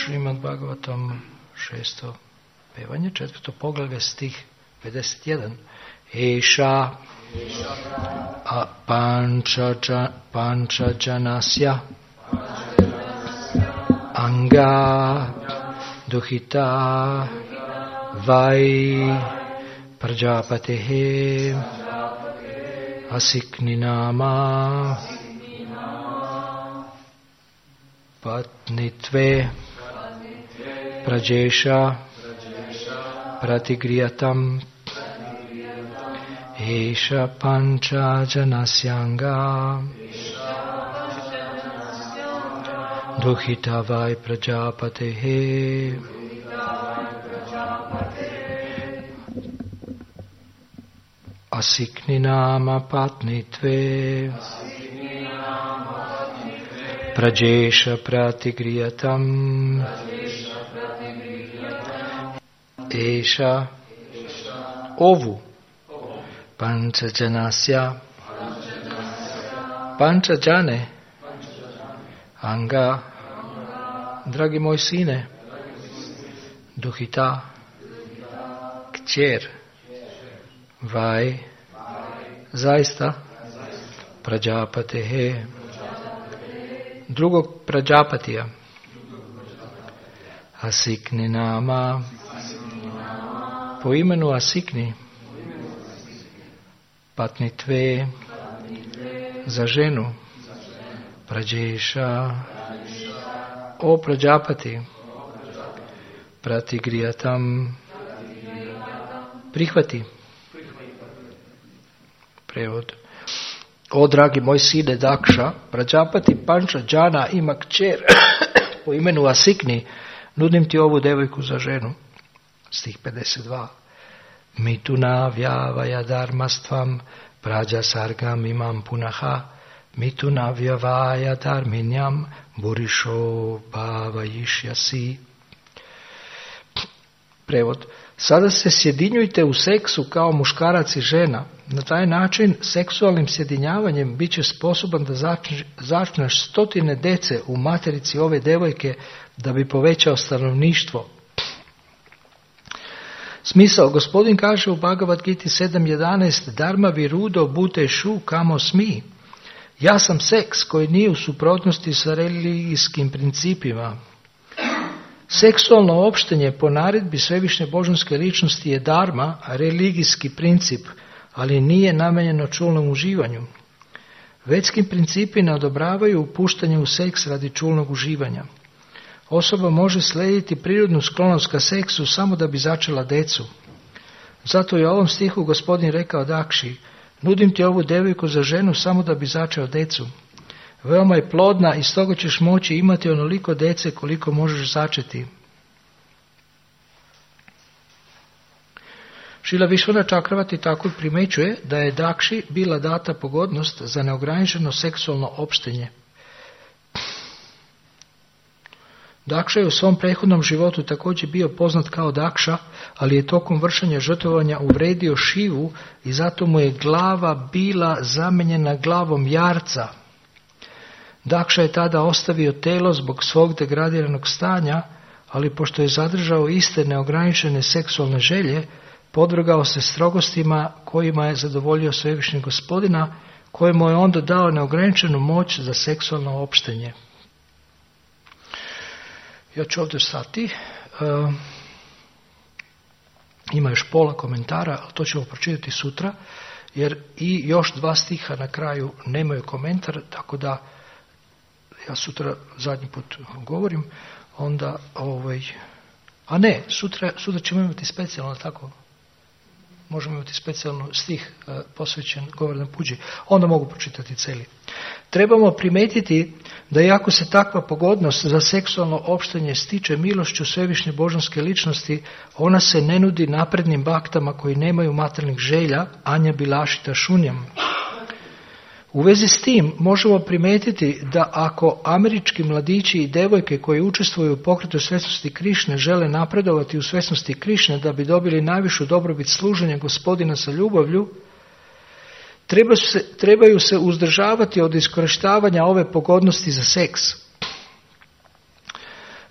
Šrimad Bhagavatam 6. pevanje, 4. poglavlje, stih 51. Eša pančajanasya anga duhita vai prajapatehe asikninama patnitve prajesha pratigriyatam esha panchajanasyanga duhitavai prajapatehe asikninama patnitve prajesha pratigriyatam esha ovu panchajanasya pančajane anga, dragi moj sine, duhita kćer vaj zaista prajapatehe drugog prađapatija Asikni nama po imenu Asikni patnitve za ženu prađeša o prađapati pratigrijatam prihvati. Prevod. O dragi moj sine Dakša, Prađapati Pančađana ima kćer po imenu Asikni, nudim ti ovu devojku za ženu. Stih 52. Mituna vjavaja dharmastvam prađa sargam imam punaha mituna vjavaja dharminjam burišo bhavajišjasi. Prevod. Sada se sjedinjujte u seksu kao muškarac i žena. Na taj način seksualnim sjedinjavanjem bit će sposoban da začneš stotine dece u materici ove devojke da bi povećao stanovništvo. Smisao. Gospodin kaže u Bhagavad Giti 7.11 Dharma virudo bute šu kamo smi. Ja sam seks koji nije u suprotnosti sa religijskim principima. Seksualno opštenje po naredbi svevišnje božanske ličnosti je dharma, religijski princip, ali nije namenjeno čulnom uživanju. Vedski principi ne odobravaju upuštanje u seks radi čulnog uživanja. Osoba može slijediti prirodnu sklonost ka seksu samo da bi začela decu. Zato je u ovom stihu gospodin rekao Dakši, nudim ti ovu devojku za ženu samo da bi začeo decu. Veoma je plodna i stoga ćeš moći imati onoliko dece koliko možeš začeti. Šila Višvana Čakravati tako primećuje da je Dakši bila data pogodnost za neograničeno seksualno opštenje. Dakša je u svom prethodnom životu također bio poznat kao Dakša, ali je tokom vršenja žrtvovanja uvredio Šivu i zato mu je glava bila zamenjena glavom jarca. Dakša je tada ostavio telo zbog svog degradiranog stanja, ali pošto je zadržao iste neograničene seksualne želje, podvrgao se strogostima kojima je zadovoljio svevišnjeg Gospodina, kojemu je onda dao neograničenu moć za seksualno opštenje. Ja ću ovdje stati. Ima još pola komentara, ali to ćemo pročitati sutra, jer i još 2 stiha na kraju nemaju komentar, tako da ja sutra zadnji put govorim, onda a ne, sutra ćemo imati specijalno, tako? Možemo imati specijalno stih posvećen Govardhan Puđi. Onda mogu pročitati cijeli. Trebamo primetiti da iako se takva pogodnost za seksualno opštenje stiče milošću svevišnje božanske ličnosti, ona se ne nudi naprednim baktama koji nemaju materijalnih želja, anja bilašita šunjam. U vezi s tim možemo primetiti da ako američki mladići i devojke koji učestvuju u pokretu svjesnosti Krišne žele napredovati u svjesnosti Krišne da bi dobili najvišu dobrobit služenja Gospodina sa ljubavlju, trebaju se uzdržavati od iskorištavanja ove pogodnosti za seks.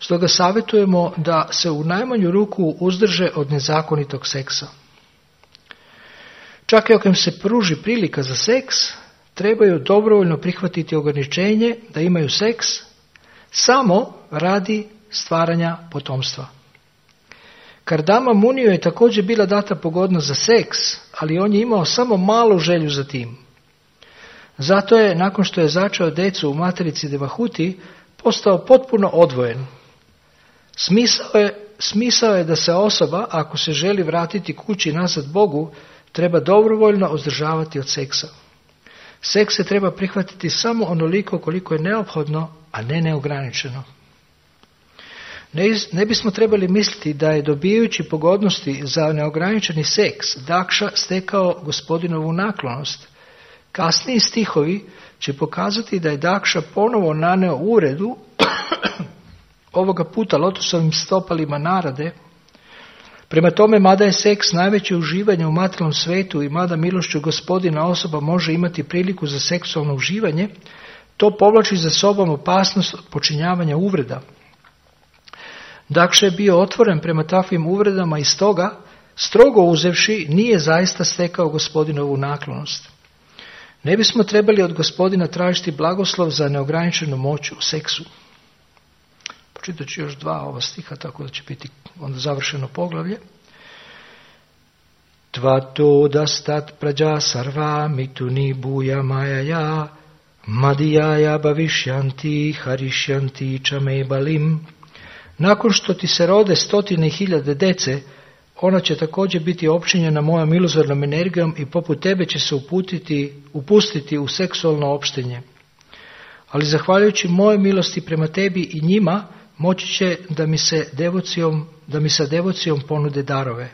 Stoga savjetujemo da se u najmanju ruku uzdrže od nezakonitog seksa. Čak i ako im se pruži prilika za seks, trebaju dobrovoljno prihvatiti ograničenje da imaju seks samo radi stvaranja potomstva. Kardama Muniju je također bila data pogodnost za seks, ali on je imao samo malu želju za tim. Zato je, nakon što je začeo djecu u materici Devahuti, postao potpuno odvojen. Smisao je da se osoba, ako se želi vratiti kući nazad Bogu, treba dobrovoljno uzdržavati od seksa. Seks se treba prihvatiti samo onoliko koliko je neophodno, a ne neograničeno. Ne bismo trebali misliti da je dobijajući pogodnosti za neograničeni seks Dakša stekao gospodinovu naklonost. Kasniji stihovi će pokazati da je Dakša ponovo naneo uvredu, ovoga puta lotosovim stopalima Narade. Prema tome, mada je seks najveće uživanje u materijalnom svetu i mada milošću gospodina osoba može imati priliku za seksualno uživanje, to povlači za sobom opasnost od počinjavanja uvreda. Dakša je bio otvoren prema takvim uvredama i stoga, strogo uzevši, nije zaista stekao gospodinovu naklonost. Ne bismo trebali od gospodina tražiti blagoslov za neograničenu moć u seksu. Pročitat ću još 2 ova stiha, tako da će biti onda završeno poglavlje. Tvato dastat prađa sarva mituni buja majaja madijaja bavišjanti harišjanti čamebalim. Nakon što ti se rode 100.000 dece, ona će također biti opčinjena mojom iluzornom energijom i poput tebe će se upustiti u seksualno opštenje. Ali zahvaljujući moje milosti prema tebi i njima, moći će da mi sa devocijom ponude darove.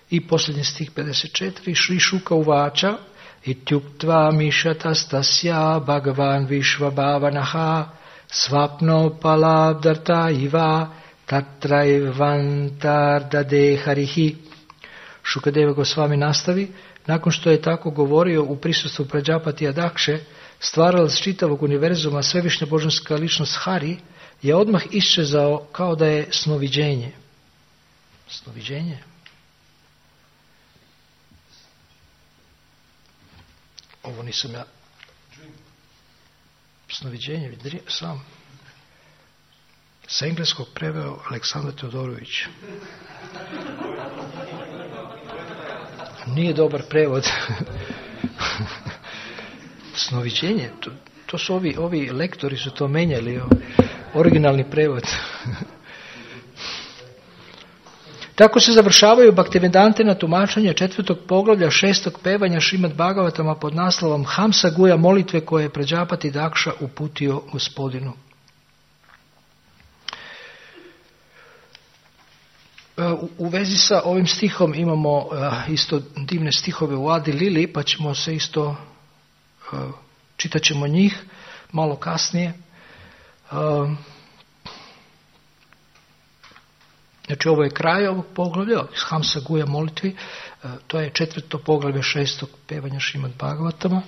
I posljednji stih 54. Šri Šuka uvača ityuktva mišatastasya bhagavan višvabhavanaha svapno palabdarta iva tatraivantar harihi. Šukadeva Gosvami nastavi, nakon što je tako govorio u prisustvu Prađapatija Dakše, stvaralac čitavog univerzuma, svevišnja božanska ličnost Hari, je odmah iščezao kao da je snoviđenje. Snoviđenje? Ovo nisam ja. Snoviđenje, sam. Sa engleskog preveo Aleksandar Teodorović. Nije dobar prevod. Snoviđenje, to su ovi lektori su to menjali, originalni prevod. Tako se završavaju Bhaktivedantina tumačenja 4. poglavlja 6. pevanja Šrimad Bhagavatama pod naslovom Hamsa Guja molitve koje je Prađapati Dakša uputio gospodinu. U vezi sa ovim stihom imamo isto divne stihove u Adi Lili, pa ćemo se isto, čitat ćemo njih malo kasnije. Znači ovo je kraj ovog poglavlja, Hamsa Guja molitvi, to je 4. poglavlje 6. pevanja Šrimad Bhagavatama.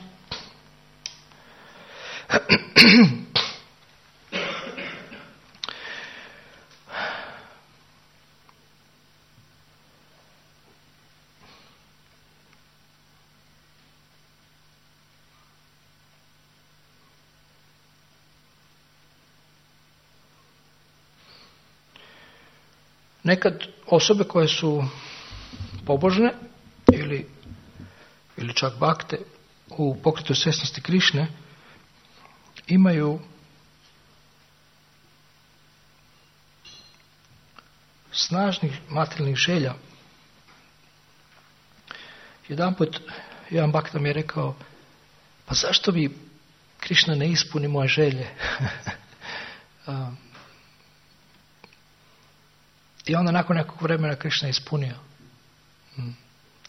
Nekad osobe koje su pobožne ili čak bakte u pokretu svjesnosti Krišne imaju snažnih materijalnih želja. Jedanput jedan bakta mi je rekao, pa zašto mi Krišna ne ispuni moje želje? I onda nakon nekog vremena Krišna je ispunio.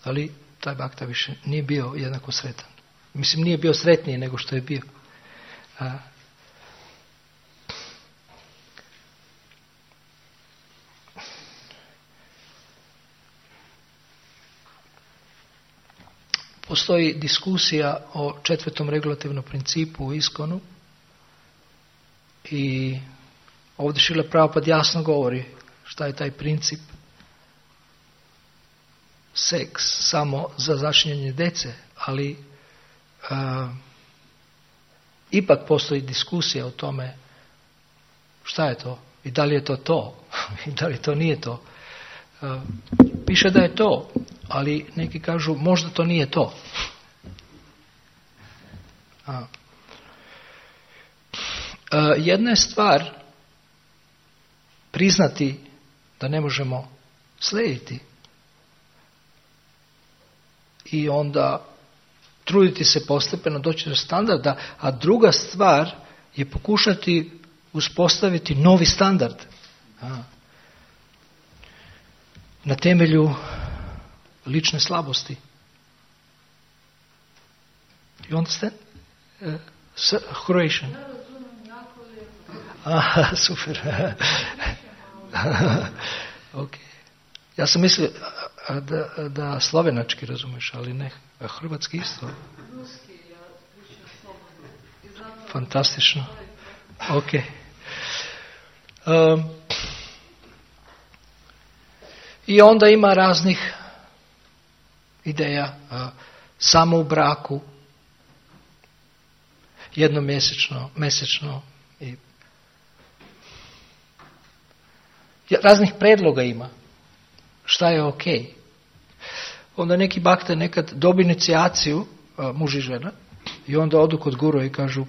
Ali taj bakta više nije bio jednako sretan. Mislim, nije bio sretniji nego što je bio. Postoji diskusija o 4. regulativnom principu u Iskonu I ovdje Šrila Prabhupada jasno govori šta je taj princip. Seks samo za začinjenje djece, ali ipak postoji diskusija o tome šta je to i da li je to i da li to nije to. Piše da je to, ali neki kažu možda to nije to. Jedna je stvar priznati da ne možemo slijediti i onda truditi se postepeno doći do standarda, a druga stvar je pokušati uspostaviti novi standard na temelju lične slabosti. You understand? Croatian. Super. Ok. Ja sam mislio da slovenački razumeš, ali ne. Hrvatski isto. Fantastično. Ok. I onda ima raznih ideja. Samo u braku. Mjesečno. I raznih predloga ima. Šta je ok? Onda neki bakte nekad dobi inicijaciju, muž i žena, i onda odu kod guru i kažu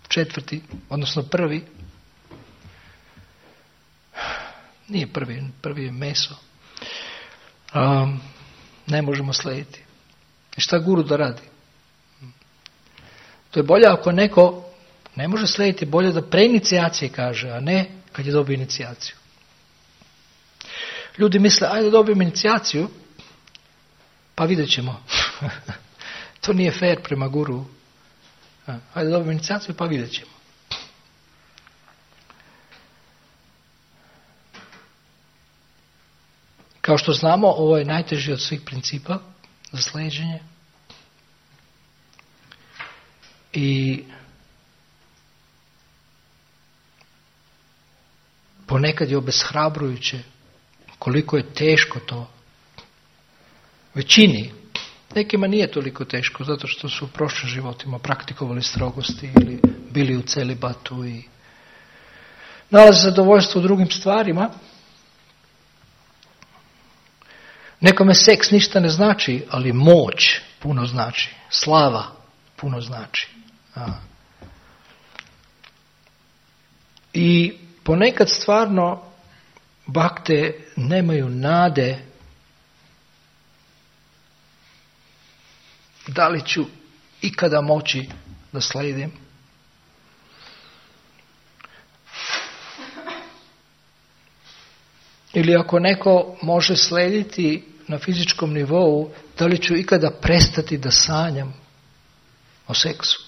4., odnosno 1. Nije prvi je meso. Ne možemo slijediti. I šta guru da radi? To je bolje ako neko ne može slijediti, bolje da pre inicijacije kaže, a ne kad je dobio inicijaciju. Ljudi misle, ajde dobijem inicijaciju, pa vidjet ćemo. To nije fair prema guru. Ajde dobijem inicijaciju, pa vidjet ćemo. Kao što znamo, ovo je najteži od svih principa za slijeđenje. I ponekad je obeshrabrujuće koliko je teško to. Većini. Nekima nije toliko teško, zato što su u prošlim životima praktikovali strogosti ili bili u celibatu i nalaze zadovoljstvo u drugim stvarima. Nekome seks ništa ne znači, ali moć puno znači. Slava puno znači. I ponekad stvarno bakte nemaju nade da li ću ikada moći da slijedim. Ili ako neko može slijediti na fizičkom nivou, da li ću ikada prestati da sanjam o seksu.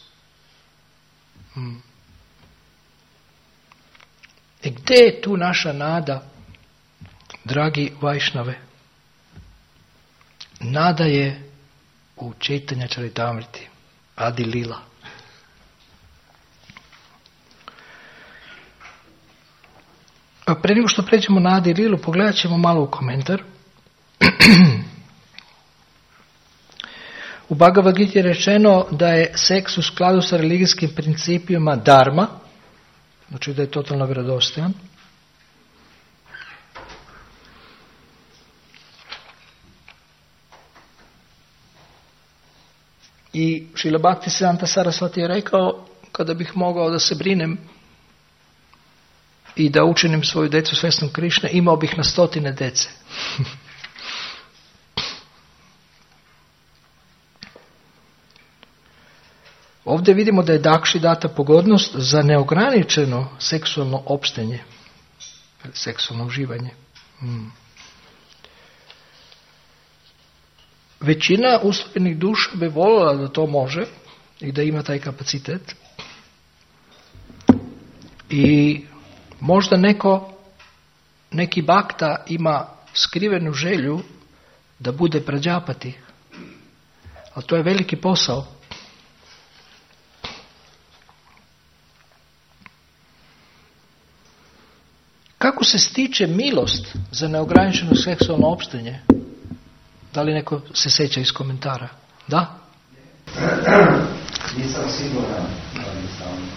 I gdje je tu naša nada, dragi Vajšnave? Nada je u Čaitanja Čaritamriti, Adi Lila. A prije nego što pređemo na Adi Lilu, pogledat ćemo malo u komentar. U Bhagavad Gita je rečeno da je seks u skladu sa religijskim principima dharma, znači da je totalno vjerodostojan. I Šrila Bhaktisiddhanta Sarasvati je rekao, kada bih mogao da se brinem i da učinim svoju djecu svjesnom Krišne, imao bih na 100 djece. Ovdje vidimo da je Dakši data pogodnost za neograničeno seksualno opštenje, seksualno uživanje. Većina usvojenih duša bi voljela da to može i da ima taj kapacitet. I možda neki bakta ima skrivenu želju da bude prađapati. Ali to je veliki posao. kako se stiče milost za neograničeno seksualno opštenje? Da li neko se seća iz komentara? Da? Nisam siguran, ali sam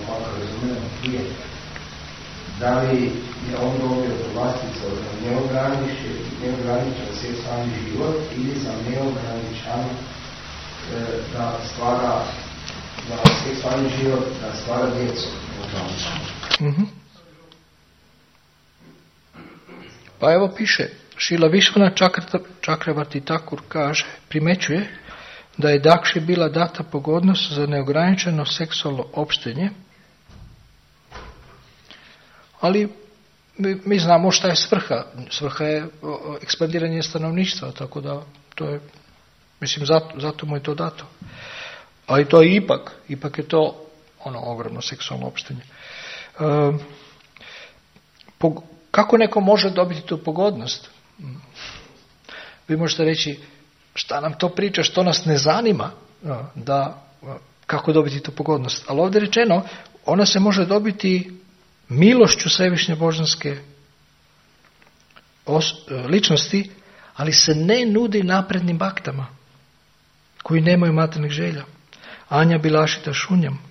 malo razumio prije. Da li je on dobio povlastica za neograničen seksualni život ili za neograničan da stvara seksualni život, da stvara djecu? Pa evo piše, Šila Višvana Čakravarti Takur kaže, primećuje da je Dakši bila data pogodnost za neograničeno seksualno opštenje, ali mi znamo šta je svrha. Svrha je ekspandiranje stanovništva, tako da to je, mislim, zato mu je to dato. Ali to je ipak je to ogromno seksualno opštenje. Kako neko može dobiti tu pogodnost? Vi možete reći, šta nam to priča, što nas ne zanima, kako dobiti tu pogodnost. Ali ovdje je rečeno, ona se može dobiti milošću svevišnje božanske ličnosti, ali se ne nudi naprednim baktama, koji nemaju materijalnih želja. Anja Bilašita šunjam.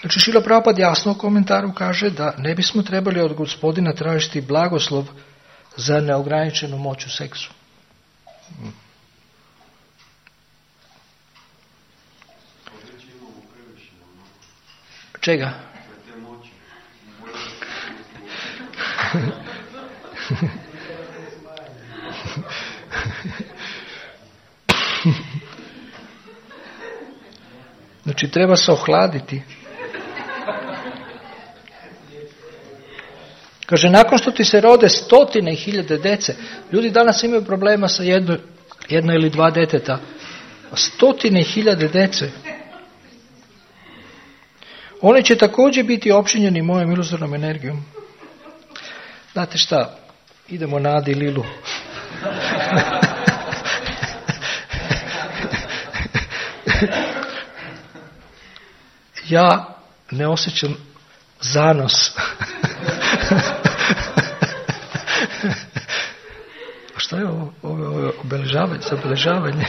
Znači, Šrila Prabhupada jasno u komentaru kaže da ne bismo trebali od Gospodina tražiti blagoslov za neograničenu moć u seksu. Čega? Znači, treba se ohladiti. Kaže, nakon što ti se rode 100.000 dece, ljudi danas imaju problema sa jedno ili dva deteta, 100.000 dece, oni će također biti opšinjeni mojom iluzornom energijom. Znate šta, idemo na Adi Lilu. Ja ne osjećam zanos. A šta je ovo obeležavanje, zabeležavanje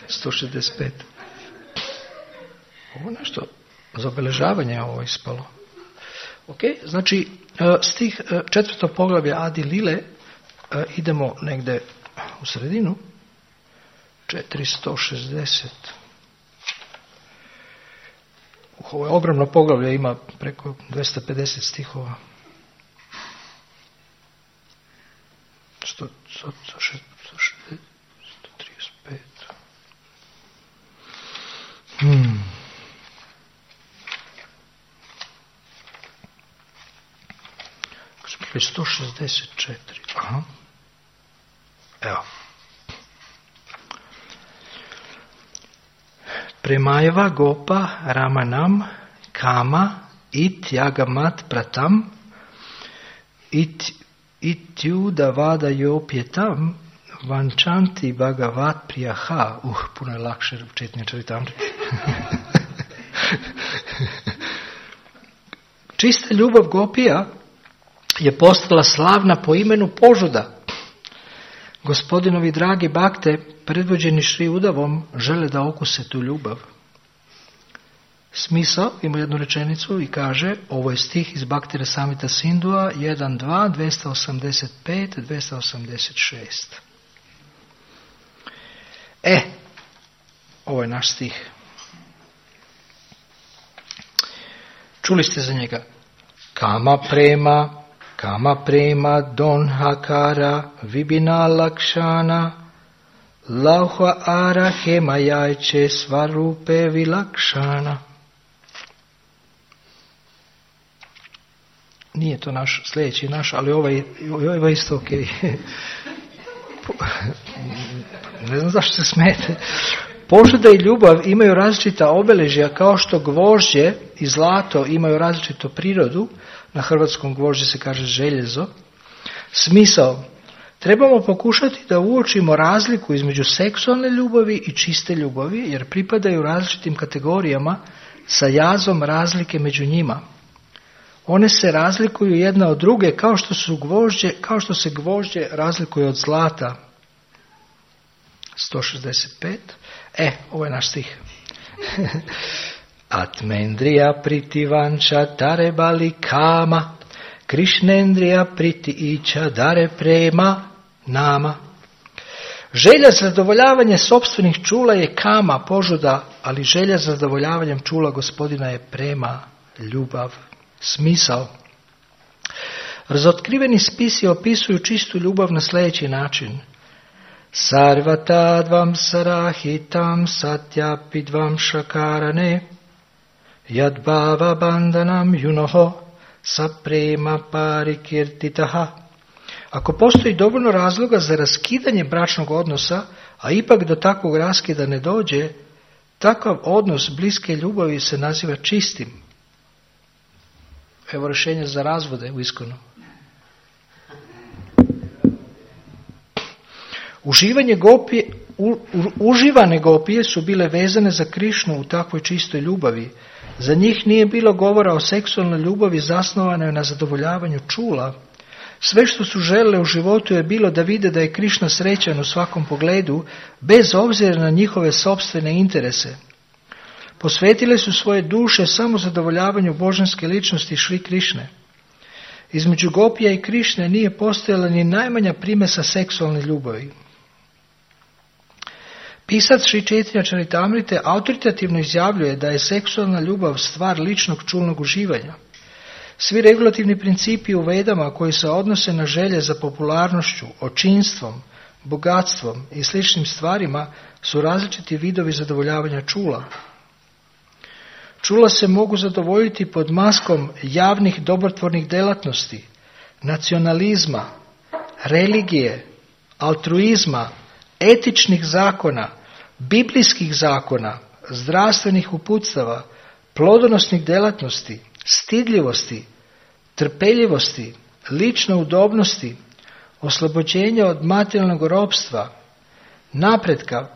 165? Ovo nešto za obeležavanje je ovo ispalo. Ok, znači stih 4. poglavlja Adi Lile, idemo negde u sredinu, 460. Ovo je ogromno poglavlje, ima preko 250 stihova. 135. Smo 164. Aha. Evo. Premajeva gopa ramanam kama it yagamat pratam ityuda vada jopjetam vančanti bhagavat priyaha. Puno je lakše čitanje Čaritamrite. Čista ljubav gopija je postala slavna po imenu Požuda. Gospodinovi dragi bakte, predvođeni Šri Udavom, žele da okuse tu ljubav. Smisao ima jednu rečenicu i kaže, ovo je stih iz Bhakti Rasamrita Sindhua 1.2, 285, 286. Ovo je naš stih. Čuli ste za njega? Kama prema donhakara vibina lakšana lauha ara hemajajče svarupe vilakšana. Nije to naš, sljedeći naš, ali ovaj isto ok. Ne znam zašto se smete. Požuda i ljubav imaju različita obeležja, kao što gvožđe i zlato imaju različitu prirodu. Na hrvatskom gvožđe se kaže željezo. Smisao. Trebamo pokušati da uočimo razliku između seksualne ljubavi i čiste ljubavi, jer pripadaju različitim kategorijama sa jazom razlike među njima. One se razlikuju jedna od druge kao što se gvožđe razlikuje od zlata. 165. Ovo je naš stih. Atmendrija priti vanča dare bali kama, Krishnendrija priti ića dare prema nama. Želja za zadovoljavanje sopstvenih čula je kama, požuda, ali želja za zadovoljavanjem čula Gospodina je prema, ljubav, smisao. Razotkriveni spisi opisuju čistu ljubav na sljedeći način. Sarvatadvam sarahitam satyapidvam šakarane yadbhava bandhanam yunoho saprema parikirtitaha. Ako postoji dovoljno razloga za raskidanje bračnog odnosa, a ipak do takvog raskida ne dođe, takav odnos bliske ljubavi se naziva čistim. Evo rješenje za razvode u iskonu. Uživane gopije su bile vezane za Krišnu u takvoj čistoj ljubavi. Za njih nije bilo govora o seksualnoj ljubavi zasnovanoj na zadovoljavanju čula. Sve što su želele u životu je bilo da vide da je Krišna srećan u svakom pogledu, bez obzira na njihove sopstvene interese. Posvetile su svoje duše samo zadovoljavanju božanske ličnosti Šri Krišne. Između gopija i Krišne nije postojala ni najmanja primesa seksualne ljubavi. Pisac Šri Chaitanya Charitamrite autoritativno izjavljuje da je seksualna ljubav stvar ličnog čulnog uživanja. Svi regulativni principi u Vedama koji se odnose na želje za popularnošću, očinstvom, bogatstvom i sličnim stvarima su različiti vidovi zadovoljavanja čula. Čula se mogu zadovoljiti pod maskom javnih dobrotvornih delatnosti, nacionalizma, religije, altruizma, etičnih zakona, biblijskih zakona, zdravstvenih uputstava, plodonosnih delatnosti, stidljivosti, trpeljivosti, lične udobnosti, oslobođenja od materijalnog ropstva, napretka,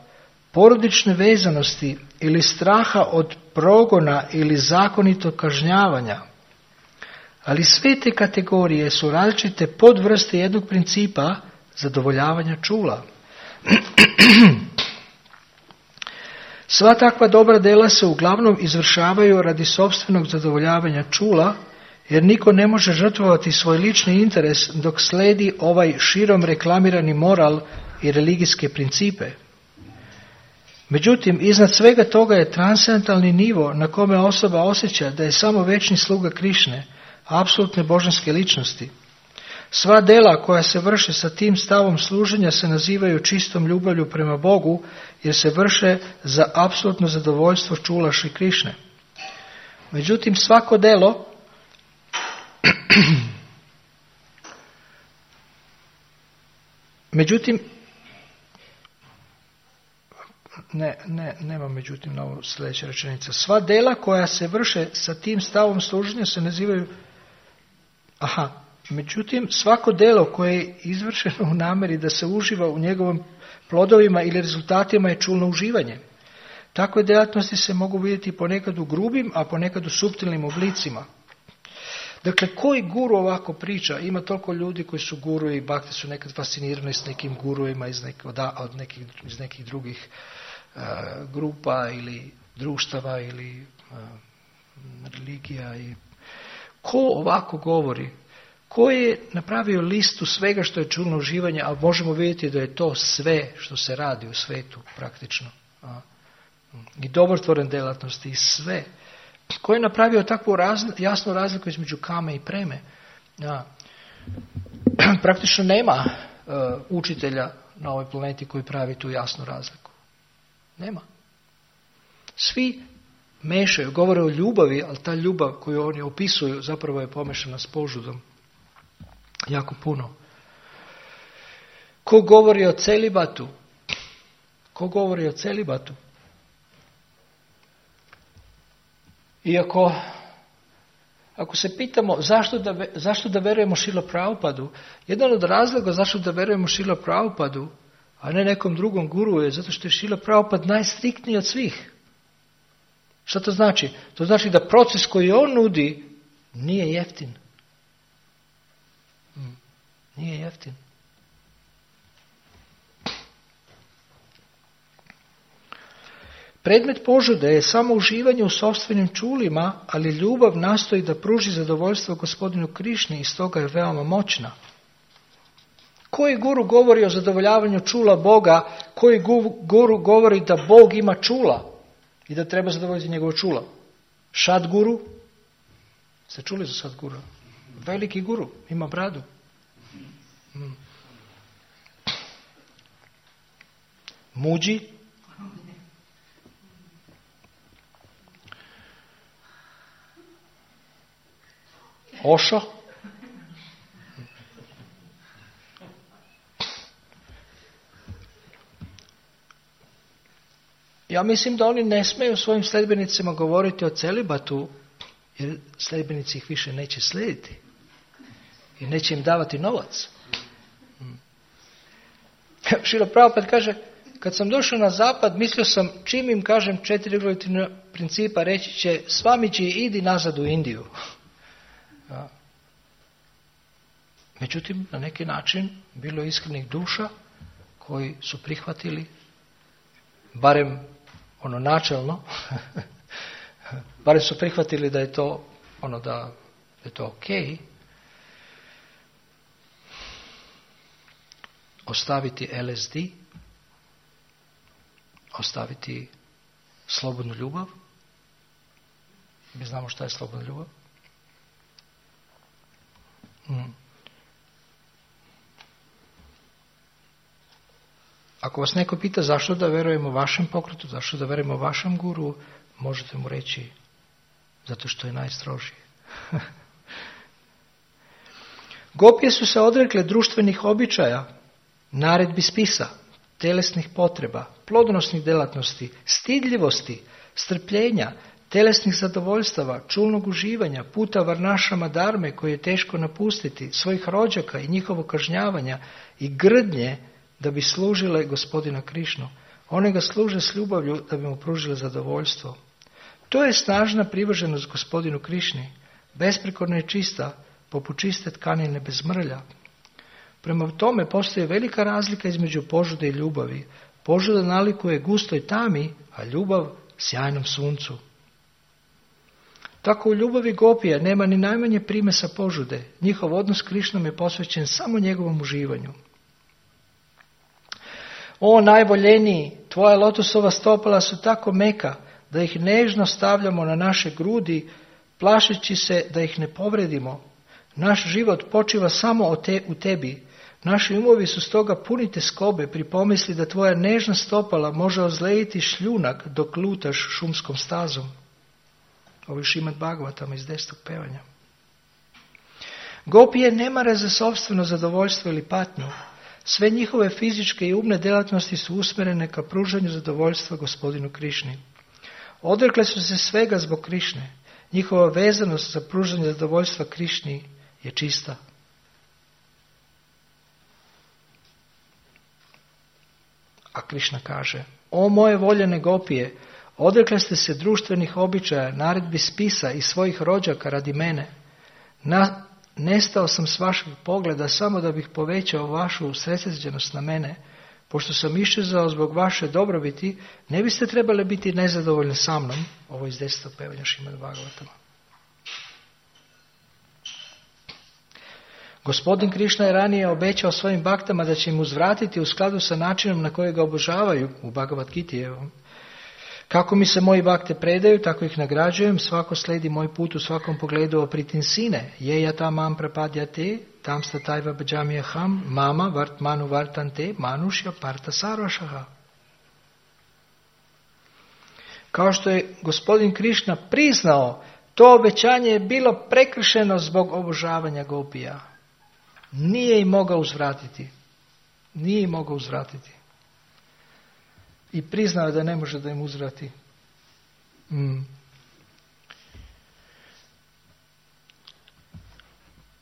porodične vezanosti ili straha od progona ili zakonitog kažnjavanja. Ali sve te kategorije su različite podvrste jednog principa zadovoljavanja čula. Sva takva dobra dela se uglavnom izvršavaju radi sopstvenog zadovoljavanja čula, jer niko ne može žrtvovati svoj lični interes dok slijedi ovaj širom reklamirani moral i religijske principe. Međutim, iznad svega toga je transcendentalni nivo na kome osoba osjeća da je samo večni sluga Krišne, apsolutne božanske ličnosti. Sva dela koja se vrše sa tim stavom služenja se nazivaju čistom ljubavlju prema Bogu, jer se vrše za apsolutno zadovoljstvo čula Šri Krišne. Međutim, svako delo nema međutim na ovu sljedeća rečenica. Sva dela koja se vrše sa tim stavom služenja se nazivaju međutim, svako delo koje je izvršeno u namjeri da se uživa u njegovim plodovima ili rezultatima je čulno uživanje. Takve djelatnosti se mogu vidjeti ponekad u grubim, a ponekad u suptilnim oblicima. Dakle, koji guru ovako priča? Ima toliko ljudi koji su guruje i bakte su nekad fascinirani s nekim gurujima iz nekih drugih grupa ili društava ili religija. Ko ovako govori? Ko je napravio listu svega što je čulno uživanje, a možemo vidjeti da je to sve što se radi u svetu praktično. I dobrotvorene djelatnosti i sve. Ko je napravio takvu jasnu razliku između kame i preme? Praktično nema učitelja na ovoj planeti koji pravi tu jasnu razliku. Nema. Svi mešaju, govore o ljubavi, ali ta ljubav koju oni opisuju zapravo je pomešana s požudom. Jako puno. Ko govori o celibatu? Ko govori o celibatu? Iako, ako se pitamo zašto da verujemo Šrila Prabhupadu, jedan od razloga zašto da verujemo Šrila Prabhupadu, a ne nekom drugom guru, je zato što je Šrila Prabhupad najstriktniji od svih. Šta to znači? To znači da proces koji on nudi Nije jeftin. Nije jeftin. Predmet požude je samo uživanje u sopstvenim čulima, ali ljubav nastoji da pruži zadovoljstvo Gospodinu Krišni i stoga je veoma moćna. Koji guru govori o zadovoljavanju čula Boga, koji guru govori da Bog ima čula i da treba zadovoljiti njegovo čula? Sadguru? Ste čuli za Sadguru? Veliki guru, ima bradu. Muđi? Ošo? Ja mislim da oni ne smiju svojim sljedbenicima govoriti o celibatu, jer sljedbenici ih više neće slijediti i neće im davati novac. Šrila Prabhupada kaže, kad sam došao na zapad, mislio sam, čim im kažem 4 regulativna principa, reći će, Swamiji, idi nazad u Indiju. Međutim, na neki način bilo je iskrenih duša koji su prihvatili, barem ono načelno, barem su prihvatili da je to da je to ok, ostaviti LSD, ostaviti slobodnu ljubav. Mi znamo šta je slobodna ljubav. Ako vas neko pita zašto da verujemo vašem pokretu, zašto da verujemo vašem guru, možete mu reći zato što je najstrožiji. Gopije su se odrekle društvenih običaja, naredbi spisa, telesnih potreba, plodonosnih delatnosti, stidljivosti, strpljenja, telesnih zadovoljstava, čulnog uživanja, puta varnašama dharme koje je teško napustiti, svojih rođaka i njihovo kažnjavanja i grdnje da bi služile Gospodina Krišnu. One ga služe s ljubavlju da bi mu pružile zadovoljstvo. To je snažna privrženost Gospodinu Krišni, besprekorna i čista, poput čiste tkanine bez mrlja. Prema tome postoji velika razlika između požude i ljubavi. Požuda nalikuje gustoj tami, a ljubav sjajnom suncu. Tako u ljubavi gopija nema ni najmanje primesa požude. Njihov odnos s Krišnom je posvećen samo njegovom uživanju. O najvoljeniji, tvoja lotosova stopala su tako meka da ih nežno stavljamo na naše grudi, plašeći se da ih ne povredimo. Naš život počiva samo u tebi. Naši umovi su stoga puni teskobe pri pomisli da tvoja nežna stopala može ozlejiti šljunak dok lutaš šumskom stazom. Ovo je Šrimad Bhagavatam iz 10. pevanja. Gopije ne mare za sopstveno zadovoljstvo ili patnju. Sve njihove fizičke i umne djelatnosti su usmjerene ka pružanju zadovoljstva Gospodinu Krišni. Odrekle su se svega zbog Krišne. Njihova vezanost za pružanje zadovoljstva Krišni je čista. A Krišna kaže, o moje voljene gopije, odrekle ste se društvenih običaja, naredbi spisa i svojih rođaka radi mene. Nestao sam s vašeg pogleda samo da bih povećao vašu usredsređenost na mene. Pošto sam iščezao zbog vaše dobrobiti, ne biste trebali biti nezadovoljni sa mnom. Ovo iz 10. pevanja Šrimad Bhagavatama. Gospodin Krišna je ranije obećao svojim baktama da će im uzvratiti u skladu sa načinom na koji ga obožavaju u Bhagavad Giti. Kako mi se moji bakte predaju, tako ih nagrađujem, svako slijedi moj put u svakom pogledu opritinsine. Je ja tam mam prapadjate, tam statajva bhaджamyaham, mama vartmanu vartante, manušja parta sarvašaha. Kao što je gospodin Krišna priznao, to obećanje je bilo prekršeno zbog obožavanja gopija. Nije im mogao uzvratiti. Nije im mogao uzvratiti. I priznao je da ne može da im uzvrati.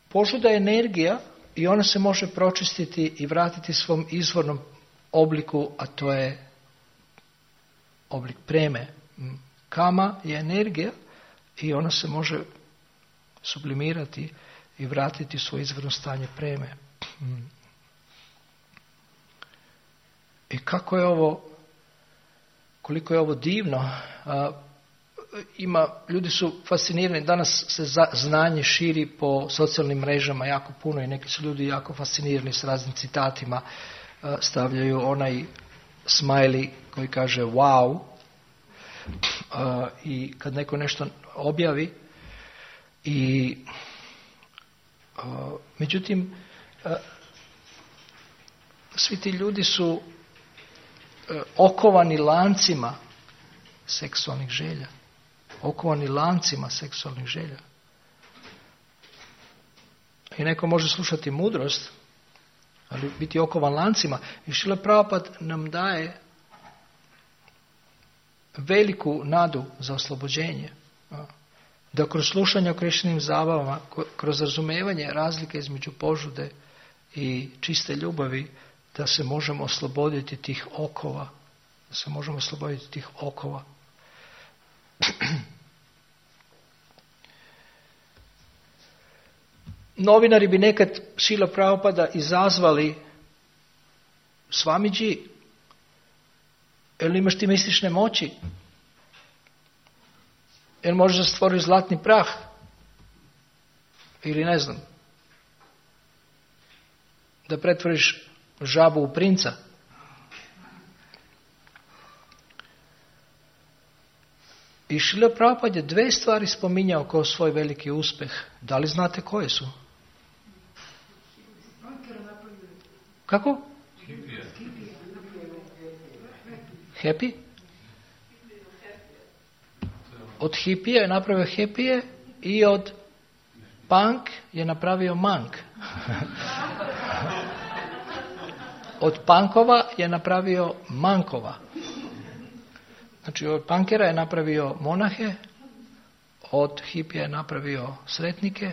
Požuda je energija i ona se može pročistiti i vratiti svom izvornom obliku, a to je oblik preme. Kama je energija i ona se može sublimirati i vratiti svoje izvorno stanje preme. I kako je ovo, koliko je ovo divno, ljudi su fascinirani, danas se znanje širi po socijalnim mrežama jako puno i neki su ljudi jako fascinirani s raznim citatima, stavljaju onaj smiley koji kaže wow, i kad neko nešto objavi i međutim svi ti ljudi su okovani lancima seksualnih želja. Okovani lancima seksualnih želja. I neko može slušati mudrost, ali biti okovan lancima. I Šrila Prabhupada nam daje veliku nadu za oslobođenje. Da kroz slušanje o Krišnim zabavama, kroz razumevanje razlike između požude i čiste ljubavi, da se možemo osloboditi tih okova. Da se možemo osloboditi tih okova. Novinari bi nekad Šrila Prabhupada izazvali: Swamidži, jel imaš ti mistične moći? Jel možeš stvoriti zlatni prah? Ili ne znam, da pretvoriš žabu u princa? I Šrila Prabhupada je 2 stvari spominjao kao svoj veliki uspjeh. Da li znate koje su? Kako? Happy? Od hipija je napravio hepije i od punk je napravio mank. Od punkova je napravio mankova. Znači od punkera je napravio monahe, od hipija je napravio sretnike,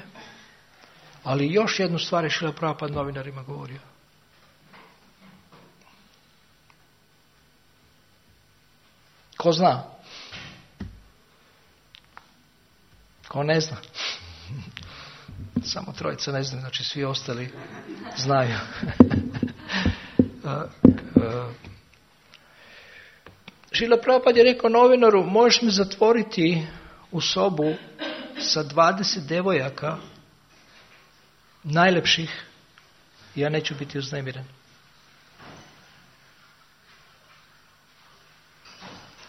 ali još jednu stvar je Šrila Prabhupada novinarima govorio. Ko zna? Ko ne zna? Samo 3 ne zna, znači svi ostali znaju. Šrila Prabhupada je rekao novinaru: možeš me zatvoriti u sobu sa 20 devojaka najlepših, ja neću biti uznemiren.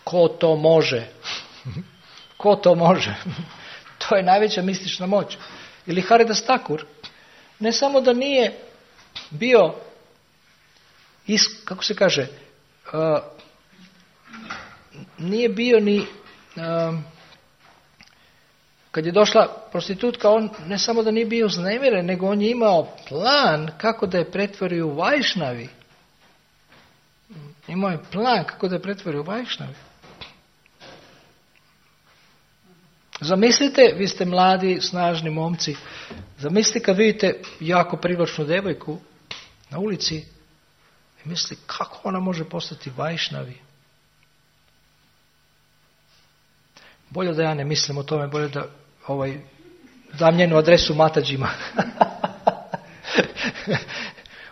Ko to može? Ko to može? To je najveća mistična moć. Ili Haridas Thakur, ne samo da nije bio, kako se kaže, nije bio ni, kad je došla prostitutka, on ne samo da nije bio uznemiren, nego on je imao plan kako da je pretvori u Vajšnavi. Imao je plan kako da je pretvori u Vajšnavi. Zamislite, vi ste mladi, snažni momci, zamislite kad vidite jako privlačnu devojku na ulici i mislite kako ona može postati Vajšnavi. Bolje da ja ne mislim o tome, bolje da dam njenu adresu Matađima.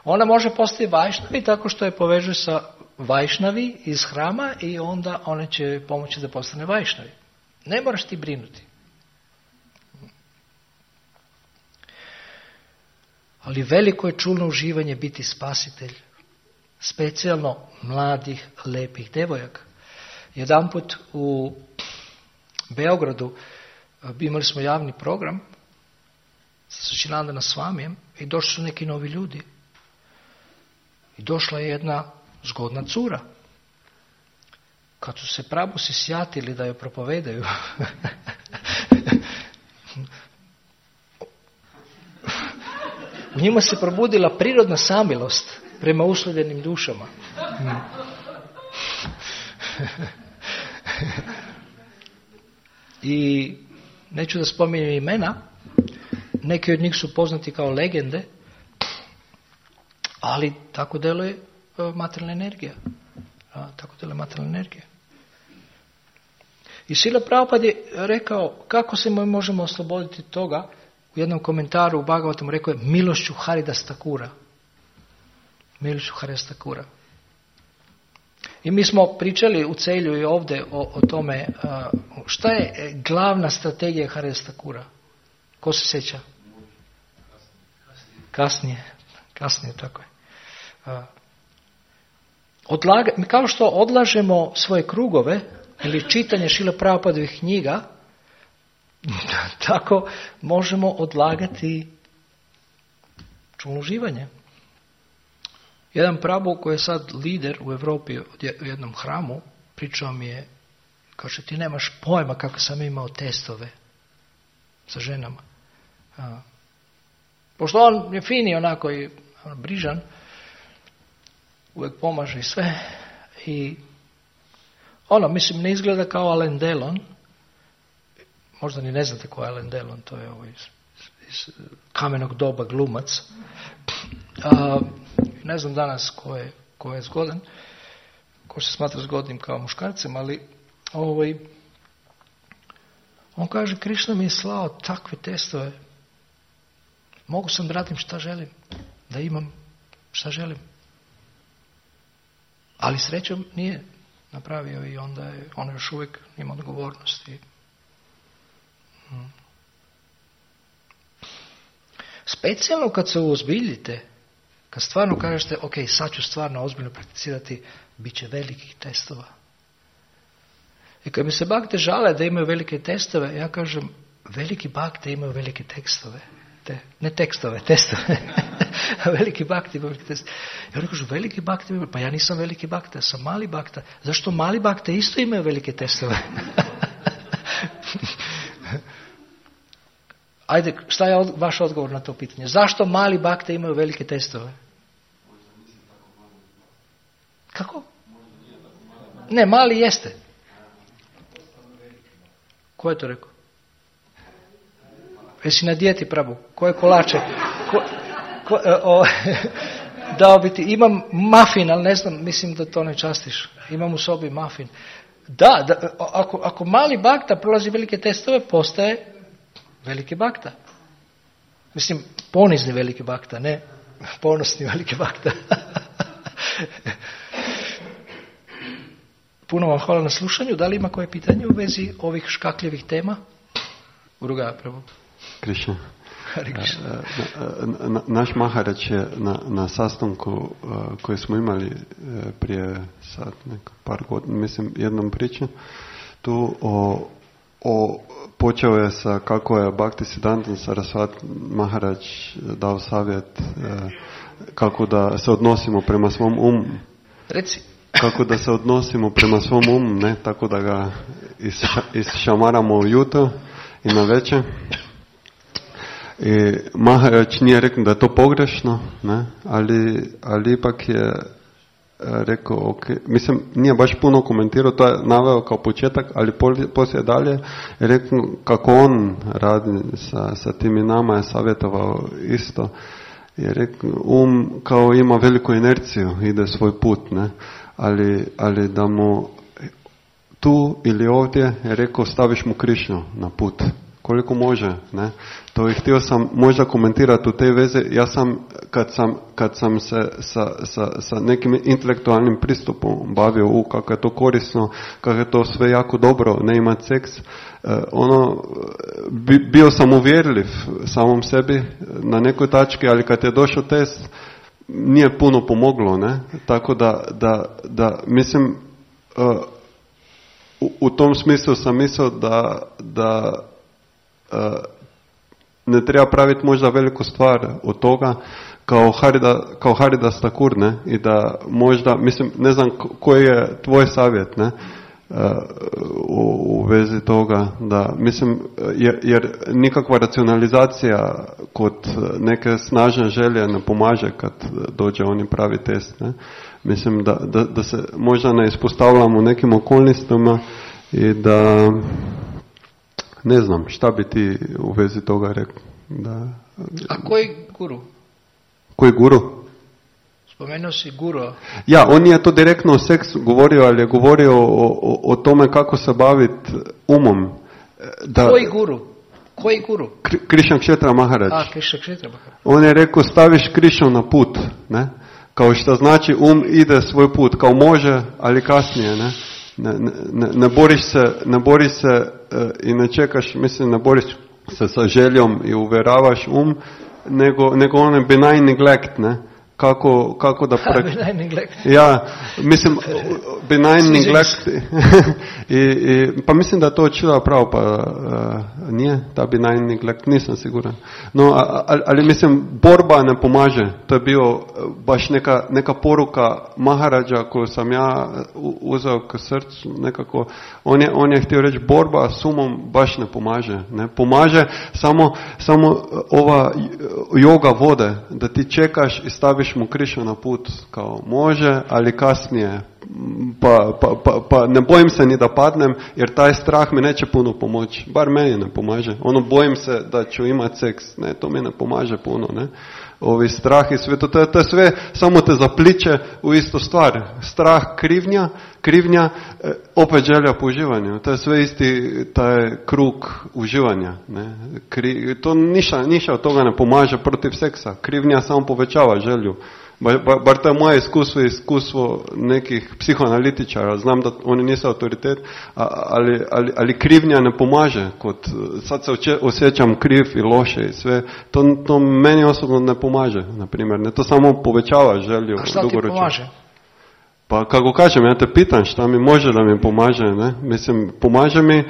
Ona može postati Vajšnavi tako što je poveže sa Vajšnavi iz hrama i onda one će pomoći da postane Vajšnavi. Ne moraš ti brinuti. Ali veliko je čulno uživanje biti spasitelj. Specijalno mladih, lepih devojaka. Jedanput u Beogradu imali smo javni program sa Sačinandana Swamijem i došli su neki novi ljudi. I došla je jedna zgodna cura. Kad su se prabusi sjatili da joj propovedaju, u njima se probudila prirodna samilost prema uslovljenim dušama. I neću da spominjem imena, neki od njih su poznati kao legende, ali tako deluje materijalna energija. Tako deluje materijalna energija. I Srila Prabhupada je rekao kako se možemo osloboditi toga. U jednom komentaru u Bhagavatamu rekao je milošću Haridas Thakura. Milošću Haridas Thakura. I mi smo pričali u Celju i ovdje o tome šta je glavna strategija Haridas Thakura. Ko se sjeća? Kasnije, tako je. Kao što odlažemo svoje krugove ili čitanje Šrila Prabhupadovih knjiga, tako možemo odlagati čulno uživanje. Jedan Prabhu koji je sad lider u Europi u jednom hramu, pričao mi je, kaže ti nemaš pojma kako sam imao testove sa ženama. Pošto on je fini onako i brižan, uvijek pomaže i sve. I mislim, ne izgleda kao Alain Delon. Možda ni ne znate ko je Alain Delon, to je ovo iz Kamenog doba glumac. Ne znam danas ko je zgodan, ko se smatra zgodnim kao muškarcem, ali on kaže, Krišna mi je slao takve testove. Mogu sam da radim šta želim, da imam šta želim. Ali srećom nije napravio i onda je on još uvijek ima odgovornosti. Specijalno kad se uozbiljite, kad stvarno kažete, ok, sad ću stvarno ozbiljno prakticirati, bit će velikih testova. I kad mi se bakte žale da imaju velike testove, ja kažem, veliki bakte imaju velike tekstove. Testove. Veliki bakte imaju velike testove. Ja kažu, veliki bakte imaju, pa ja nisam veliki bakta, ja sam mali bakta. Zašto mali bakte isto imaju velike testove? Ajde, šta je vaš odgovor na to pitanje? Zašto mali bakte imaju velike testove? Kako? Ne, mali jeste. Ko je to rekao? Jesi na dijeti, Prabhu? Koje kolače? Dao bi ti, imam mafin, ali ne znam, mislim da to ne častiš. Imam u sobi mafin. Da, ako mali bakta prolazi velike testove, postaje veliki bakta. Mislim, ponizni veliki bakta, ne ponosni veliki bakta. Puno vam hvala na slušanju. Da li ima koje pitanje u vezi ovih škakljevih tema? Uruga, Prabhu. Krišna. Naš Maharač je na sastanku koji smo imali prije sad par godina, mislim jednom priču, tu počeo je sa kako je Bhaktisiddhanta Sarasvati Maharač dao savjet kako da se odnosimo prema svom umu. Reci. Kako da se odnosimo prema svom umu, ne tako da ga išamaramo ujutro i na večer. I Maharač nije rekao da je to pogrešno, ne, ali ipak je rekao, ok, mislim, nije baš puno komentirao, to je naveo kao početak, ali poslije dalje je rekao kako on radi sa tim i nama je savjetovao isto. Je rekao, kao ima veliku inerciju, ide svoj put, ne, ali da mu tu ili ovdje je rekao staviš mu Krišnu na put. Koliko može, ne? To i htio sam možda komentirati u te veze. Ja sam, kad sam se sa nekim intelektualnim pristupom bavio kako je to korisno, kako je to sve jako dobro, ne imati seks, bio sam uvjerljiv samom sebi na nekoj tački, ali kad je došao test, nije puno pomoglo, ne? Tako da mislim, u tom smislu sam mislio da ne treba praviti možda veliku stvar od toga kao Haridas Thakur, ne? I da možda, mislim, ne znam koji je tvoj savjet, ne? U vezi toga, da, mislim, jer nikakva racionalizacija kod neke snažne želje ne pomaže kad dođe oni pravi test, ne? Mislim da se možda ne ispostavljamo u nekim okolnostima i da ne znam, šta bi ti u vezi toga rekao? Da. A koji guru? Koji guru? Spomenuo si guru. Ja, on nije to direktno o seksu govorio, ali je govorio o tome kako se baviti umom. Koji guru? Koji guru? Krišan Kshetra Maharaj. Krišan Kshetra Maharaj. On je rekao, staviš Krišnu na put, ne? Kao što znači ide svoj put, kao može, ali kasnije, ne? Ne boriš se i ne čekaš, mislim, ne boriš se sa željom i uvjeravaš nego on je benign neglect, ne? Kako da benign neglect. Ja, mislim, benign neglect. Pa mislim da to učila pravo, pa nije ta benign neglect, nisam siguran. No, ali mislim, borba ne pomaže. To je bio baš neka poruka Maharađa koju sam ja uzeo k srcu nekako. On je htio reći, borba s umom baš ne pomaže. Ne pomaže samo ova yoga vode, da ti čekaš i staviš mu Krišnu na put, kao može, ali kasnije. Pa ne bojim se ni da padnem, jer taj strah mi neće puno pomoći. Bar meni ne pomaže. Bojim se da ću imati seks. Ne, to mi ne pomaže puno, ne. Ovi strah i sve, to je sve, samo te zapliče u istu stvar. Strah, krivnja, opet želja po uživanju. To je sve isti taj krug uživanja. Ne. To ništa od toga ne pomaže protiv seksa. Krivnja samo povećava želju. Bar to je moje iskustvo nekih psihoanalitičara. Znam da oni nisu autoritet, ali krivnja ne pomaže. Sad se osjećam kriv i loše i sve. To meni osobno ne pomaže, na primjer. Ne, to samo povećava želju. A šta ti pomaže? Pa kako kažem, ja te pitam šta mi može da mi pomaže. Ne? Mislim, pomaže mi...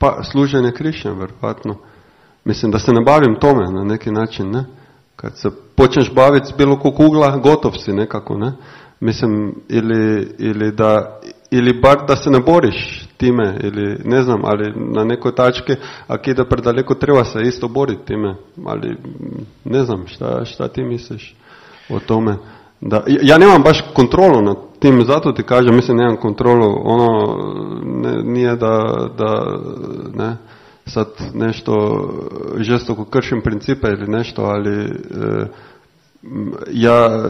Pa služenje Krišne, vjerojatno. Mislim da se ne bavim tome na neki način, ne? Kad se počneš baviti s bilo kog ugla, gotov si nekako, ne? Mislim, ili bar da se ne boriš time, ili ne znam, ali na nekoj tački, ako ide predaleko, treba se isto boriti time, ali ne znam, šta ti misliš o tome? Da, ja nemam baš kontrolu nad tim, zato ti kažem, mislim, nemam kontrolu, nije da ne, sad nešto žestoko kršim principe ili nešto, ali ja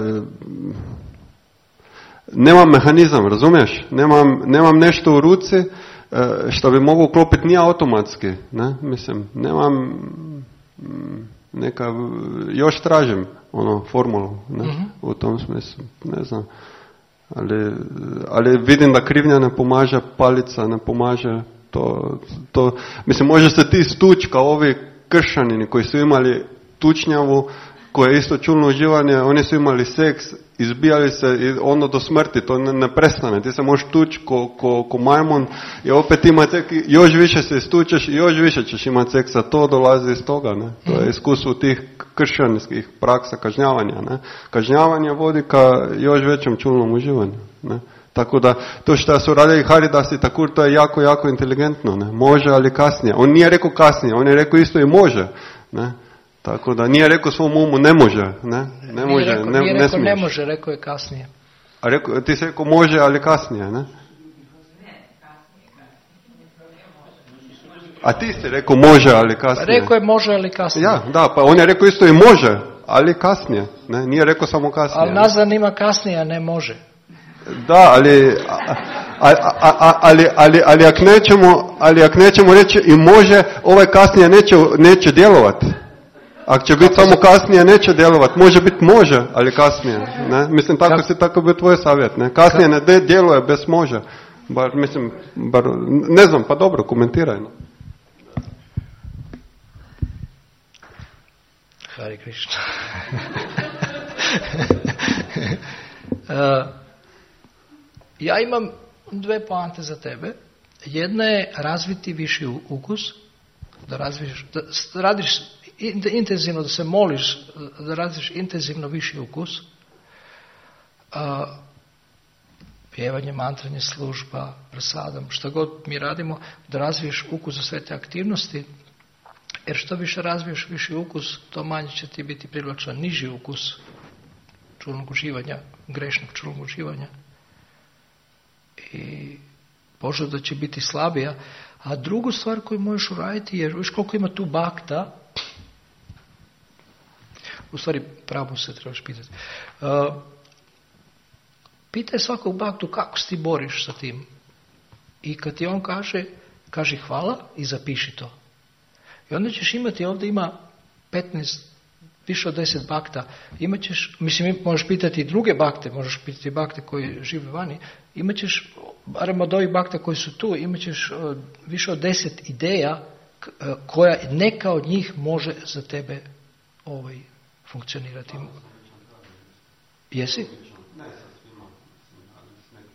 nemam mehanizam, razumiješ? Nemam nešto u ruci što bi mogu uklopiti, nije automatski, ne, mislim, nemam još tražim formulu, ne, u tom smislu, ne znam, ali vidim da krivnja ne pomaže, palica ne pomaže, to mislim, može se ti stući kao ovi kršanini koji su imali tučnjavu, koje je isto čulno uživanje, oni su imali seks, izbijali se i ono do smrti, to ne prestane, ti se možeš tući ko majmun i opet imati seks, još više se istučeš i još više ćeš imati seksa, to dolazi iz toga, ne? To je iskustvo tih kršćanskih praksa kažnjavanja, ne? Kažnjavanje vodi ka još većem čulnom uživanju, ne? Tako da, to što su radili Haridas i Thakur, to je jako, jako inteligentno, ne? Može, ali kasnije. On nije rekao kasnije, on je rekao isto i može, ne? Tako da nije rekao svom umu ne može, ne? Ne može, ne smiješ. Ne može, rekao je kasnije. A ti si rekao može, ali kasnije, ne? A ti si rekao može, ali kasnije. Pa rekao je može, ali kasnije. Ja, da, pa on je rekao isto i može, ali kasnije, ne? Nije rekao samo kasnije. Ali nazad ima kasnije, a ne može. Da, ali ako nećemo reći i može, ovaj kasnije neće djelovati. Ako će biti samo kasnije, neće djelovati. Može biti može, ali kasnije. Ne? Mislim, tako bi tvoj savjet. Ne? Kasnije ne djeluje bez može. Ne znam, pa dobro, komentiraj. No. Hare Krishna. Ja imam dve poante za tebe. Jedna je razviti viši ukus, da radiš intenzivno, da se moliš, da radiš intenzivno viši ukus, pjevanje, mantranje, služba, prasadam, što god mi radimo, da razviješ ukus za sve te aktivnosti, jer što više razviješ viši ukus, to manje će ti biti privlačan niži ukus čulnog uživanja, grešnog čulnog uživanja. I požuda će biti slabija. A drugu stvar koju možeš uraditi je, viš koliko ima tu bakta, u stvari pravo se trebaš pitati. Pitaj svakog baktu kako se ti boriš sa tim. I kad ti on kaže, kaži hvala i zapiši to. I onda ćeš imati, ovdje ima 15, više od 10 bakta. Imaćeš, mislim, možeš pitati i druge bakte, možeš pitati bakte koji žive vani, imaćeš, barem od ovih bakta koji su tu, imaćeš više od 10 ideja koja neka od njih može za tebe funkcionirati. Jesi?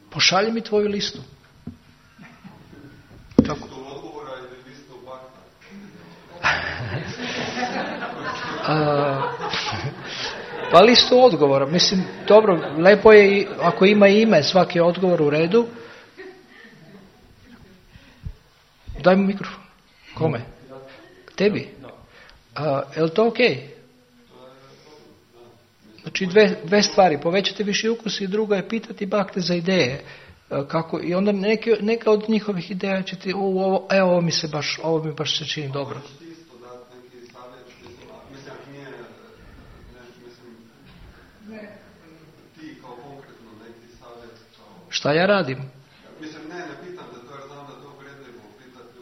Pošalji mi tvoju listu. Kako? Pa listu odgovora. Mislim, dobro, lepo je ako ima ime svaki odgovor u redu. Daj mu mikrofon. Kome? Tebi? Je li to okej? Znači dve stvari, povećati viši ukus i druga je pitati bakte za ideje. Kako, i onda neka od njihovih ideja će ti, ovo mi baš se čini dobro. Šta ja radim? Mislim, ne pitam da to, jer znam da to uvredljivo, pitati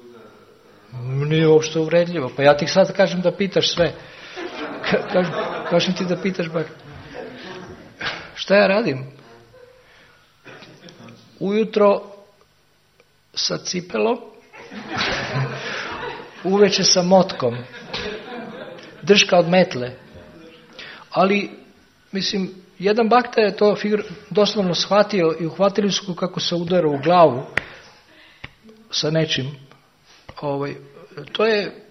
ljude... Nije uopšte uvredljivo, pa ja ti sad kažem da pitaš sve. Kažem ti da pitaš bak. Šta ja radim? Ujutro sa cipelom, uveče sa motkom, drška od metle. Ali, mislim, jedan bakta je to doslovno shvatio i uhvatili su kako se udara u glavu sa nečim. To je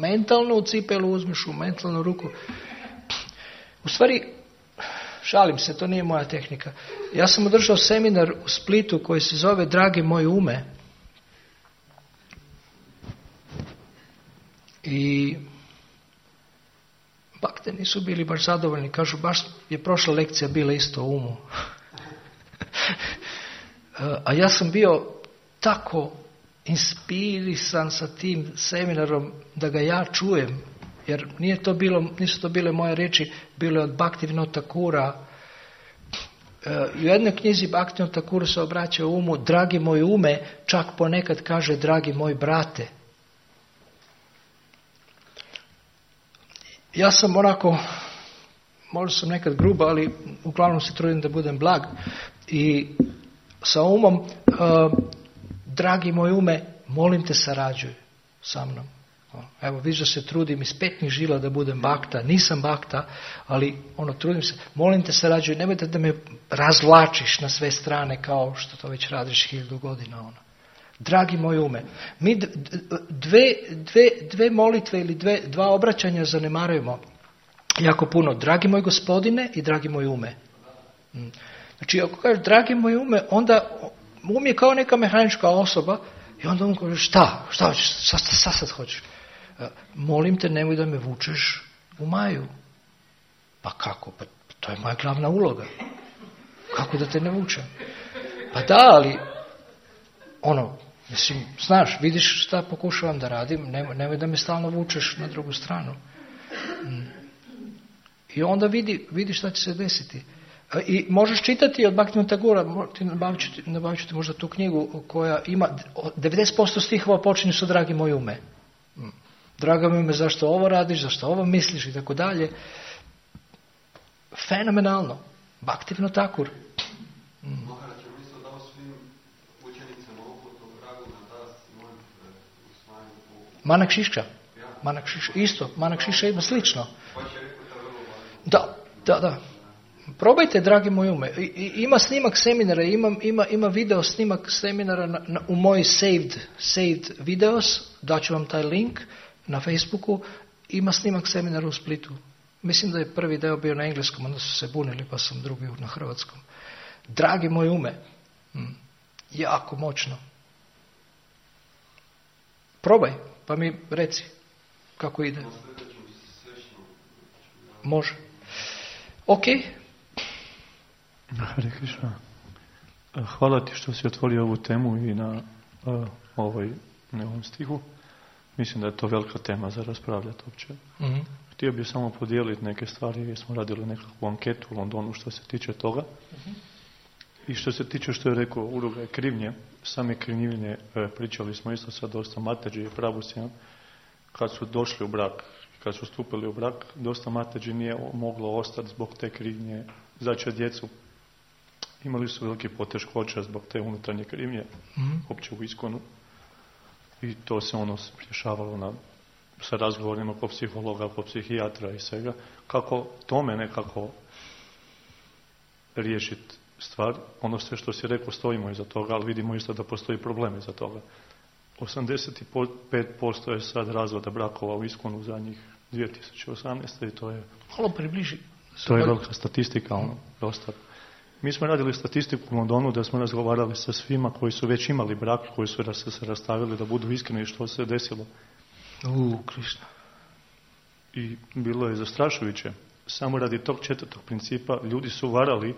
mentalno u cipelu uzmeš u mentalnu ruku. U stvari, šalim se, to nije moja tehnika. Ja sam održao seminar u Splitu koji se zove Dragi moj ume. I bakte nisu bili baš zadovoljni. Kažu, baš je prošla lekcija bila isto o umu. A ja sam bio tako inspirisan sa tim seminarom da ga ja čujem. Jer nisu to bile moje riječi, bilo je od Bhaktivinoda Thakura. U jednoj knjizi Bhaktivinoda Thakura se obraća umu, dragi moj ume, čak ponekad kaže dragi moj brate. Ja sam možda sam nekad gruba, ali uglavnom se trudim da budem blag. I sa umom, dragi moj ume, molim te sarađuj sa mnom. Evo, vidiš da se trudim iz petnih žila da budem bakta. Nisam bakta, ali trudim se. Molim te sarađuj, nemojte da me razvlačiš na sve strane kao što to već radiš 1000 godina. Dragi moj ume. Mi dve molitve ili dva obraćanja zanemarujemo jako puno. Dragi moj gospodine i dragi moj ume. Znači, ako kažeš dragi moj ume, onda um je kao neka mehanička osoba i onda on kaže šta hoćeš, šta sad hoćeš? Molim te, nemoj da me vučeš u Maju. Pa kako? Pa to je moja glavna uloga. Kako da te ne vučem? Pa da, ali mislim, znaš, vidiš šta pokušavam da radim, nemoj da me stalno vučeš na drugu stranu. I onda vidi šta će se desiti. I možeš čitati od Bhaktivinoda Thakura, nabavit ću ti možda tu knjigu koja ima 90% stihova počinju sa dragi moj ume. Draga mi ume, zašto ovo radiš, zašto ovo misliš i tako dalje. Fenomenalno. Bhaktivinoda Thakur. Manak Šiša. Isto. Manak Šiša ima slično. Da. Probajte, dragi moj ume. Ima snimak seminara, ima video snimak seminara u moj saved videos, daću vam taj link na Facebooku, ima snimak seminara u Splitu. Mislim da je prvi deo bio na engleskom, onda su se bunili pa sam drugi na hrvatskom. Dragi moj ume. Jako moćno. Probaj, pa mi reci kako ide. Može. Ok. Hare Krishna. Hvala ti što si otvorio ovu temu i na ovom stihu. Mislim da je to velika tema za raspravljati uopće. Mm-hmm. Htio bih samo podijeliti neke stvari jer smo radili nekakvu anketu u Londonu što se tiče toga. Mm-hmm. I što se tiče što je rekao Uruguay krivnje, same krivnje, pričali smo isto sa dosta mateđi i pravostima, kad su došli u brak, kad su stupili u brak, dosta mateđi nije moglo ostati zbog te krivnje, začeti djecu. Imali su veliki poteškoća zbog te unutarnje krivnje, uopće u iskonu. I to se rješavalo sa razgovorima po psihologa, po psihijatra i svega. Kako tome nekako riješiti stvar, ono sve što si rekao stojimo iza toga, ali vidimo isto da postoji problem iza toga. 85% je sad razvoda brakova u iskonu u zadnjih 2018. i to je... Malo približi. To je velika statistika, dosta. Mi smo radili statistiku u Londonu da smo razgovarali sa svima koji su već imali brak, koji su se rastavili da budu iskreni što se desilo. Krišna. I bilo je zastrašujuće. Samo radi tog 4. principa ljudi su varali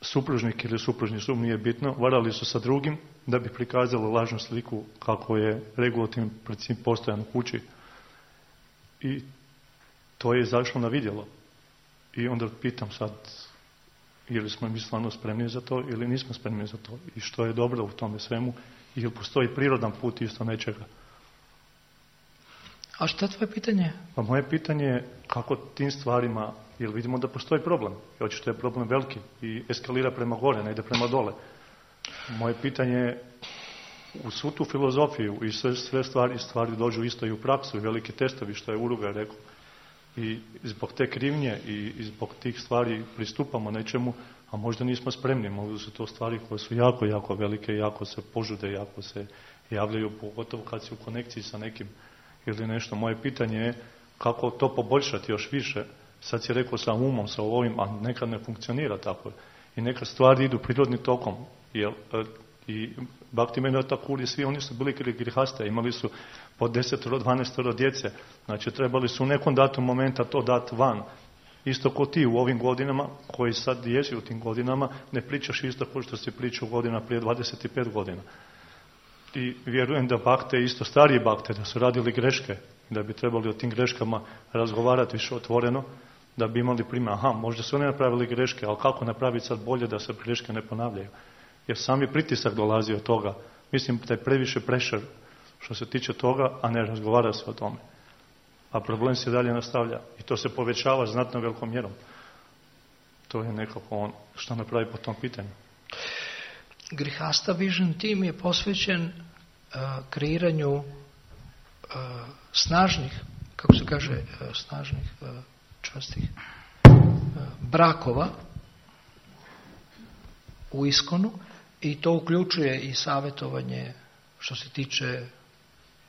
supružnik ili supružni sub, nije bitno, varali su sa drugim da bi prikazali lažnu sliku kako je regulativni princip postojan u kući. I to je izašlo na vidjelo. I onda pitam sad, ili smo mi stvarno spremni za to ili nismo spremni za to. I što je dobro u tome svemu, ili postoji prirodan put isto nečega. A što je tvoje pitanje? Pa moje pitanje je kako tim stvarima, jer vidimo da postoji problem. I očito je problem veliki i eskalira prema gore, ne ide prema dole. Moje pitanje je u svu tu filozofiju i sve stvari dođu isto i u praksu i veliki testovi, što je Uruguay rekao. I zbog te krivnje i zbog tih stvari pristupamo nečemu, a možda nismo spremni. Možda su to stvari koje su jako, jako velike, jako se požude, jako se javljaju, pogotovo kad si u konekciji sa nekim ili nešto. Moje pitanje je kako to poboljšati još više. Sad si rekao sa umom, sa ovim, a nekad ne funkcionira tako. I neka stvari idu prirodnim tokom. I Bhakti Vinod Thakur, svi oni su bili grihaste, imali su po 10-12 djece. Znači trebali su u nekom datom momenta to dati van. Isto ko ti u ovim godinama, koji sad jesi u tim godinama, ne pričaš isto kao što si pričao godina prije 25 godina. I vjerujem da bakte, isto stariji bakte, da su radili greške, da bi trebali o tim greškama razgovarati više otvoreno, da bi imali primjer, možda su oni napravili greške, ali kako napraviti sad bolje da se greške ne ponavljaju? Jer sami pritisak dolazi od toga. Mislim da je previše pressure što se tiče toga, a ne razgovara se o tome. A problem se dalje nastavlja. I to se povećava znatno velikom mjerom. To je nekako što napravi po tom pitanju. Grihasta Vision Team je posvećen kreiranju snažnih, kako se kaže, snažnih, čvrstih brakova u iskonu, i to uključuje i savjetovanje što se tiče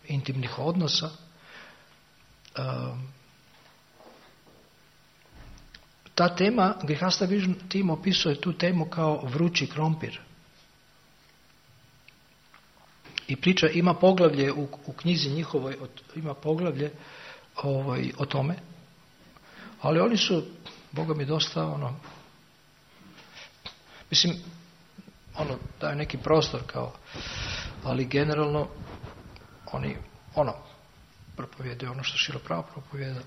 intimnih odnosa. Ta tema, Grihasta Vision Team opisuje tu temu kao vrući krompir. I priča, ima poglavlje u knjizi njihovoj, ima poglavlje o tome. Ali oni su, Boga mi, dosta mislim, daju neki prostor kao, ali generalno oni propovijedaju ono što Šrila Prabhupada propovijeda.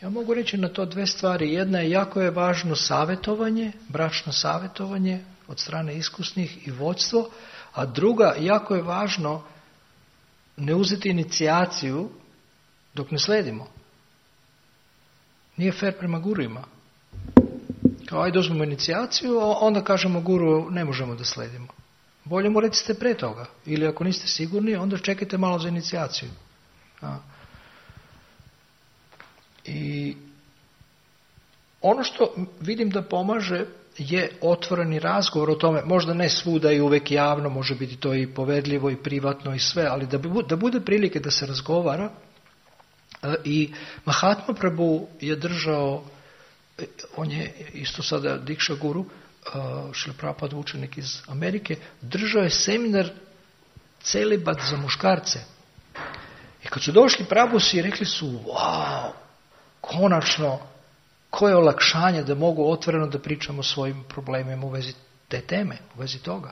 Ja mogu reći na to dve stvari. Jedna je, jako je važno savjetovanje, bračno savjetovanje od strane iskusnih i vodstvo, a druga, jako je važno ne uzeti inicijaciju dok ne sledimo. Nije fair prema gurujima. Kao ajde uzmemo inicijaciju, onda kažemo guru ne možemo da sledimo. Bolje mu recite pre toga. Ili ako niste sigurni, onda čekajte malo za inicijaciju. I ono što vidim da pomaže je otvoreni razgovor o tome, možda ne svuda i uvek javno, može biti to i povedljivo i privatno i sve, ali da bude prilike da se razgovara. I Mahatma Prabhu je držao, on je isto sada Dikša guru, Šrila Prabhupada učenik iz Amerike, držao je seminar celibat za muškarce. I kad su došli Prabhusi, rekli su, wow, konačno koje olakšanje da mogu otvoreno da pričamo o svojim problemima u vezi te teme, u vezi toga.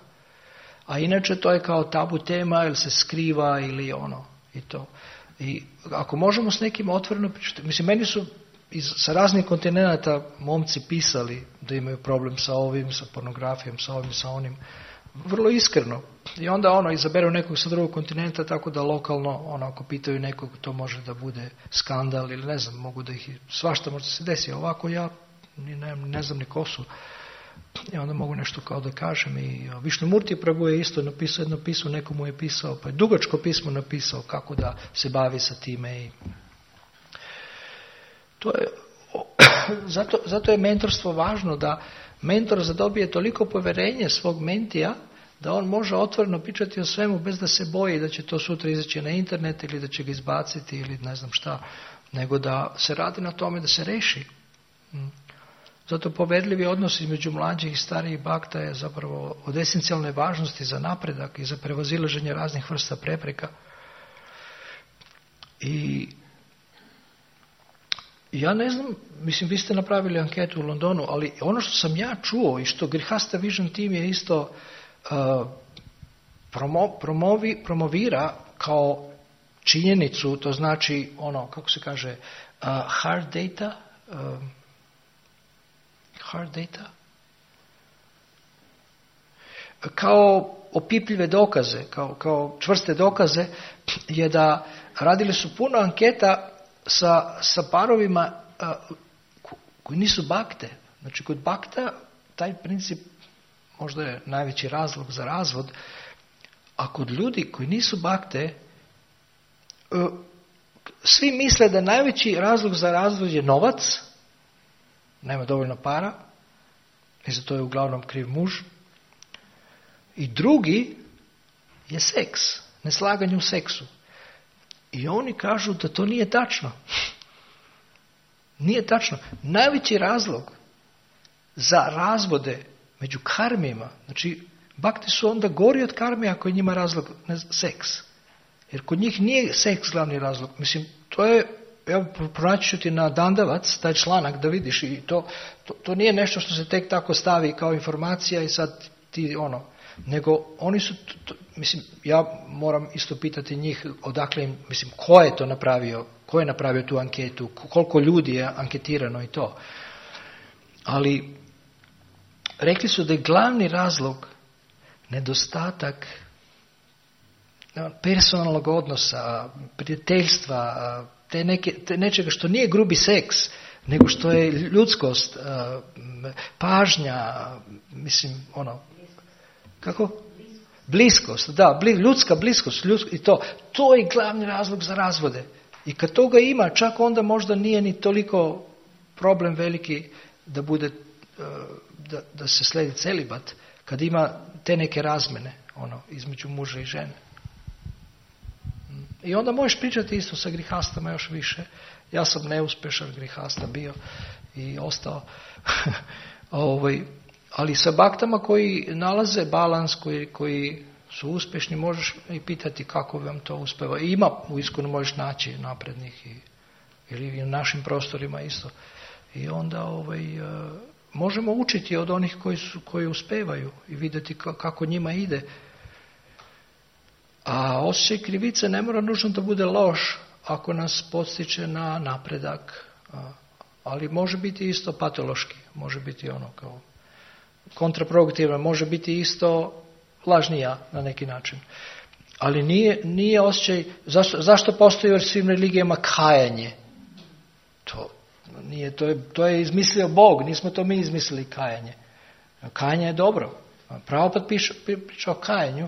A inače to je kao tabu tema, ili se skriva, ili i to. I ako možemo s nekim otvoreno pričati, mislim, meni su sa raznih kontinenta momci pisali da imaju problem sa ovim, sa pornografijom, sa ovim, sa onim, vrlo iskreno. I onda izaberu nekog sa drugog kontinenta, tako da lokalno, ako pitaju nekog, to može da bude skandal ili ne znam, mogu da ih, svašta možda se desi. Ovako ja ne znam ni ko su. I onda mogu nešto kao da kažem. I Višnumurti Prabhu je isto napisao jedno pismo, nekomu je pisao, pa je dugačko pismo napisao kako da se bavi sa time. I to je, zato je mentorstvo važno, da mentor zadobije toliko povjerenje svog mentija da on može otvoreno pričati o svemu bez da se boji da će to sutra izaći na internet ili da će ga izbaciti ili ne znam šta, nego da se radi na tome da se reši. Zato povedljivi odnos između mlađih i starijih bakta je zapravo od esencijalne važnosti za napredak i za prevazilaženje raznih vrsta prepreka. I ja ne znam, mislim, vi ste napravili anketu u Londonu, ali ono što sam ja čuo i što Grihasta Vision Team je isto promovira kao činjenicu, to znači kako se kaže, hard data, kao opipljive dokaze, kao čvrste dokaze, je da radili su puno anketa sa parovima koji nisu bakte. Znači, kod bakta taj princip možda je najveći razlog za razvod, a kod ljudi koji nisu bakte, svi misle da najveći razlog za razvod je novac, nema dovoljno para, i za to je uglavnom kriv muž. I drugi je seks, neslaganje u seksu. I oni kažu da to nije tačno. Nije tačno. Najveći razlog za razvode među karmima, znači bakti su onda gori od karmi ako je njima razlog seks. Jer kod njih nije seks glavni razlog. Mislim, to je, evo, pronaći ću ti na Dandavac taj članak da vidiš, i to nije nešto što se tek tako stavi kao informacija i sad ti nego oni su, mislim, ja moram isto pitati njih odakle im, mislim, ko je to napravio, ko je napravio tu anketu, koliko ljudi je anketirano i to. Ali rekli su da je glavni razlog nedostatak personalnog odnosa, prijateljstva, te nečega što nije grubi seks, nego što je ljudskost, pažnja, mislim, kako? Bliskost, da, ljudska bliskost, i to je glavni razlog za razvode. I kad toga ima, čak onda možda nije ni toliko problem veliki da bude, da se sledi celibat, kad ima te neke razmene, između muža i žene. I onda možeš pričati isto sa grihastama još više. Ja sam neuspešan grihasta bio i ostao. Ali sa baktama koji nalaze balans, koji su uspješni, možeš i pitati kako vam to uspeva. I ima u Iskonu možeš naći naprednih ili u našim prostorima isto. I onda možemo učiti od onih koji uspevaju i vidjeti kako njima ide. A osjećaj krivice ne mora nužno da bude loš ako nas podstiče na napredak. Ali može biti isto patološki, može biti kao kontraproduktivno, može biti isto lažnija na neki način. Ali nije osjećaj, zašto postoji u svim religijama kajanje? To je izmislio Bog, nismo to mi izmislili kajanje. Kajanje je dobro. Prabhupada priča o kajanju,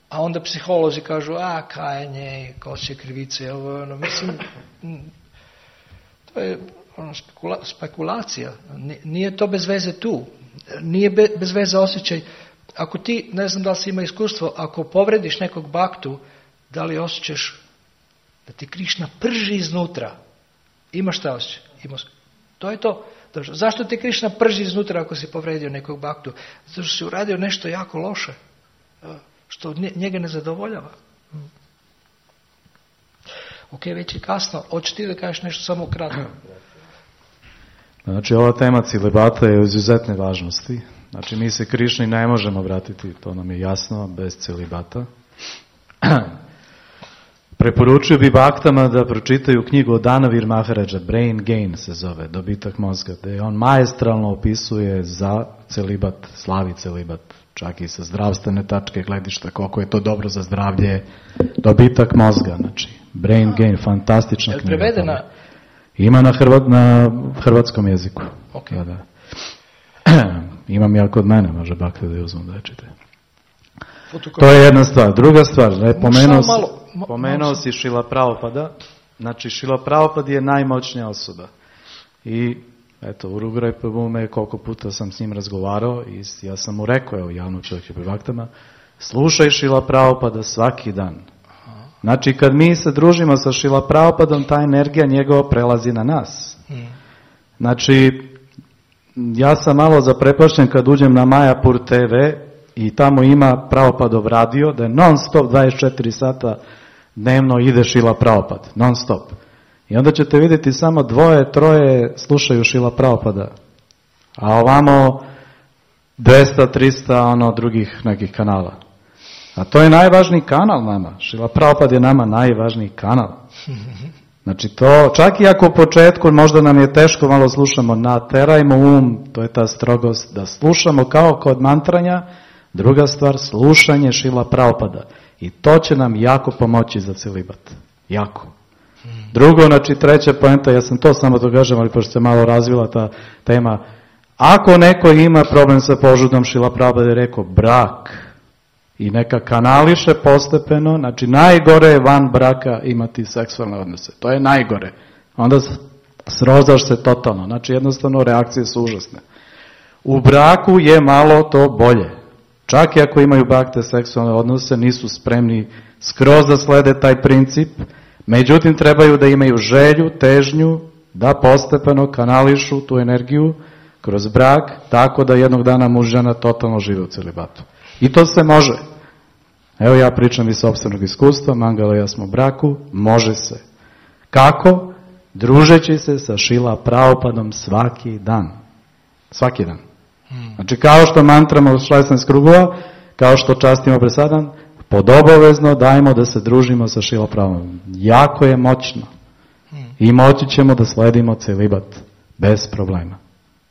a onda psiholozi kažu, kajanje, osjećaj krivice, mislim, to je spekulacija. Nije to bez veze tu. Nije bez veze osjećaj. Ako ti, ne znam da li si ima iskustvo, ako povrediš nekog baktu, da li osjećaš da ti Krišna prži iznutra? Imaš šta osjećaj? To je to. Zašto ti Krišna prži iznutra ako si povredio nekog baktu? Zato što si uradio nešto jako loše, što njega ne zadovoljava. Ok, već je kasno. Hoćeš ti da kažeš nešto samo kratko? Znači, ova tema celibata je od izuzetne važnosti. Znači, mi se Krišni ne možemo vratiti, to nam je jasno, bez celibata. Preporučio bi baktama da pročitaju knjigu od Danavir Maharaja, Brain Gain se zove, dobitak mozga, gde on maestralno opisuje za celibat, slavi celibat, čak i sa zdravstvene tačke gledišta, koliko je to dobro za zdravlje, dobitak mozga, znači, Brain Gain, fantastična knjiga. Je prevedena? Ima na hrvatskom jeziku. Okay. Da. Imam ja kod mene, može bakte da je uzmem da je čite. To je jedna stvar. Druga stvar, pomenuo si Šila Pravopada. Znači, Šila Pravopad je najmoćnija osoba. I, eto, Uruguay Pabume, koliko puta sam s njim razgovarao i ja sam mu rekao, evo, javno čovjek je pri vaktama, slušaj Šila Pravopada svaki dan. Znači, kad mi se družimo sa Šila Pravopadom, ta energija njegova prelazi na nas. Znači, ja sam malo zaprepašten kad uđem na Majapur TV i tamo ima Pravopadov radio, da je non stop 24 sata dnevno ide Šila Pravopad, non stop. I onda ćete vidjeti samo 2-3 slušaju Šila Pravopada, a ovamo 200-300 drugih nekih kanala. A to je najvažniji kanal nama. Šila Pravopad je nama najvažniji kanal. Znači to, čak i ako u početku možda nam je teško, malo slušamo, naterajmo to je ta strogost, da slušamo kao kod mantranja. Druga stvar, slušanje Šila Pravopada. I to će nam jako pomoći za celibat. Jako. Drugo, znači treća poenta, ja sam to samo to kažem, ali pošto se malo razvila ta tema, ako neko ima problem sa požudom, Šila Pravopada je rekao brak i neka kanališe postepeno, znači najgore je van braka imati seksualne odnose. To je najgore. Onda srozaš se totalno. Znači jednostavno reakcije su užasne. U braku je malo to bolje. Čak i ako imaju bakte seksualne odnose, nisu spremni skroz da slede taj princip, međutim trebaju da imaju želju, težnju, da postepeno kanališu tu energiju kroz brak, tako da jednog dana muž i žena totalno žive u celibatu. I to se može. Evo ja pričam iz sopstvenog iskustva, Mangala i ja smo u braku, može se. Kako? Družeći se sa Šila Pravopadom svaki dan. Svaki dan. Znači kao što mantramo 16 krugova, kao što častimo presadan, podobovezno dajmo da se družimo sa Šila Pravopadom. Jako je moćno. I moći ćemo da sledimo celibat bez problema.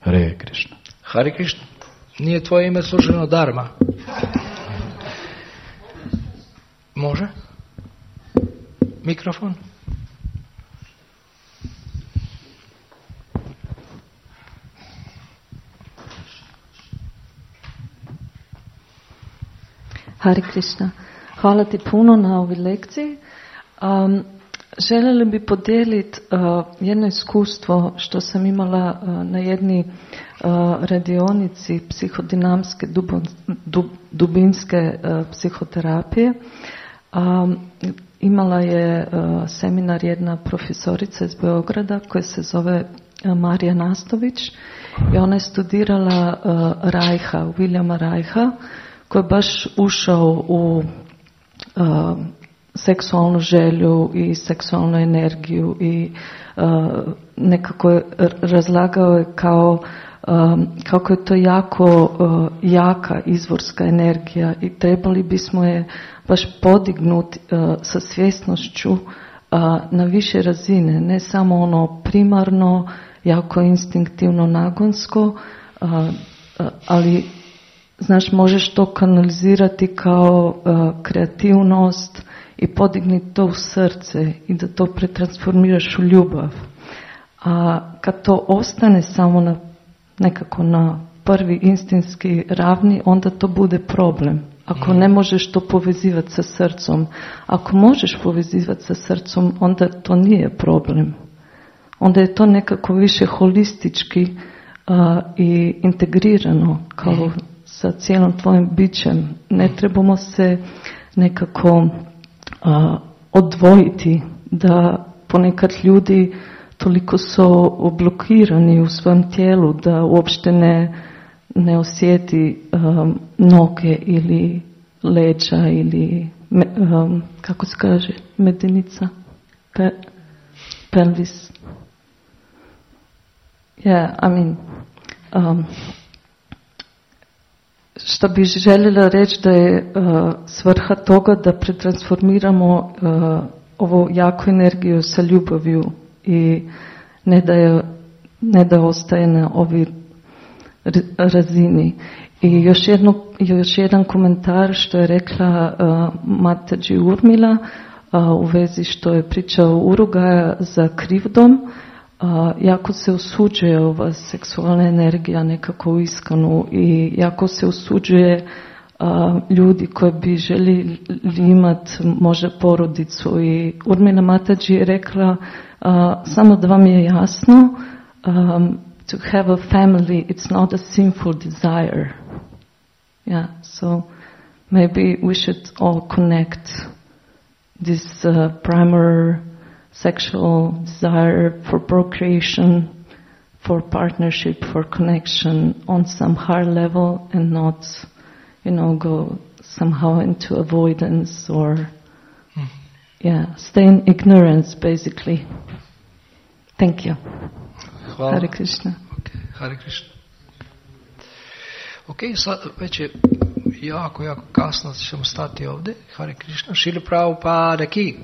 Hare Krišna. Hare Krišna. Nije tvoje ime služeno Dharma. Može? Mikrofon? Hare Krišna. Hvala ti puno na ovoj lekciji. Željela bi podijeliti jedno iskustvo što sam imala na jedni radionici psihodinamske dubinske psihoterapije. Imala je seminar jedna profesorica iz Beograda koja se zove Marija Nastović i ona je studirala Reicha, Williama Reicha, koji je baš ušao u seksualnu želju i seksualnu energiju i nekako je razlagao je kako je to jako jaka izvorska energija i trebali bismo je baš podignuti sa svjesnošću na više razine, ne samo ono primarno, jako instinktivno, nagonsko, ali znaš, možeš to kanalizirati kao kreativnost i podignuti to u srce i da to pretransformiraš u ljubav. A kad to ostane samo nekako na prvi instinktski ravni, onda to bude problem. Ako ne možeš to povezivati sa srcom, ako možeš povezivati sa srcom, onda to nije problem. Onda je to nekako više holistički i integrirano kao sa cijelom tvojim bićem. Ne trebamo se nekako odvojiti, da ponekad ljudi toliko su blokirani u svom tijelu da uopšte ne osjeti noge ili leđa ili kako se kaže medenica, pelvis. Yeah, I mean, što bi željela reći da je svrha toga da pretransformiramo ovu jaku energiju sa ljubavlju i ne da ostaje na ovoj razini. I još jedan komentar što je rekla Mataji Urmila u vezi što je pričao Urugaja za krivdom. Jako se osuđuje ova seksualna energija nekako u iskanu i jako se osuđuje ljudi koji bi željeli imati možda porodicu. I Urmila Mataji je rekla samo da vam je jasno, to have a family, it's not a sinful desire. Yeah, so maybe we should all connect this primary sexual desire for procreation, for partnership, for connection on some higher level and not, go somehow into avoidance or, stay in ignorance basically. Thank you. Hvala. Hare Krishna. Okay, Hare Krishna. Ok, sad već je jako kasno, ćemo stati ovdje. Hare Krishna. Šrila Prabhupada ki.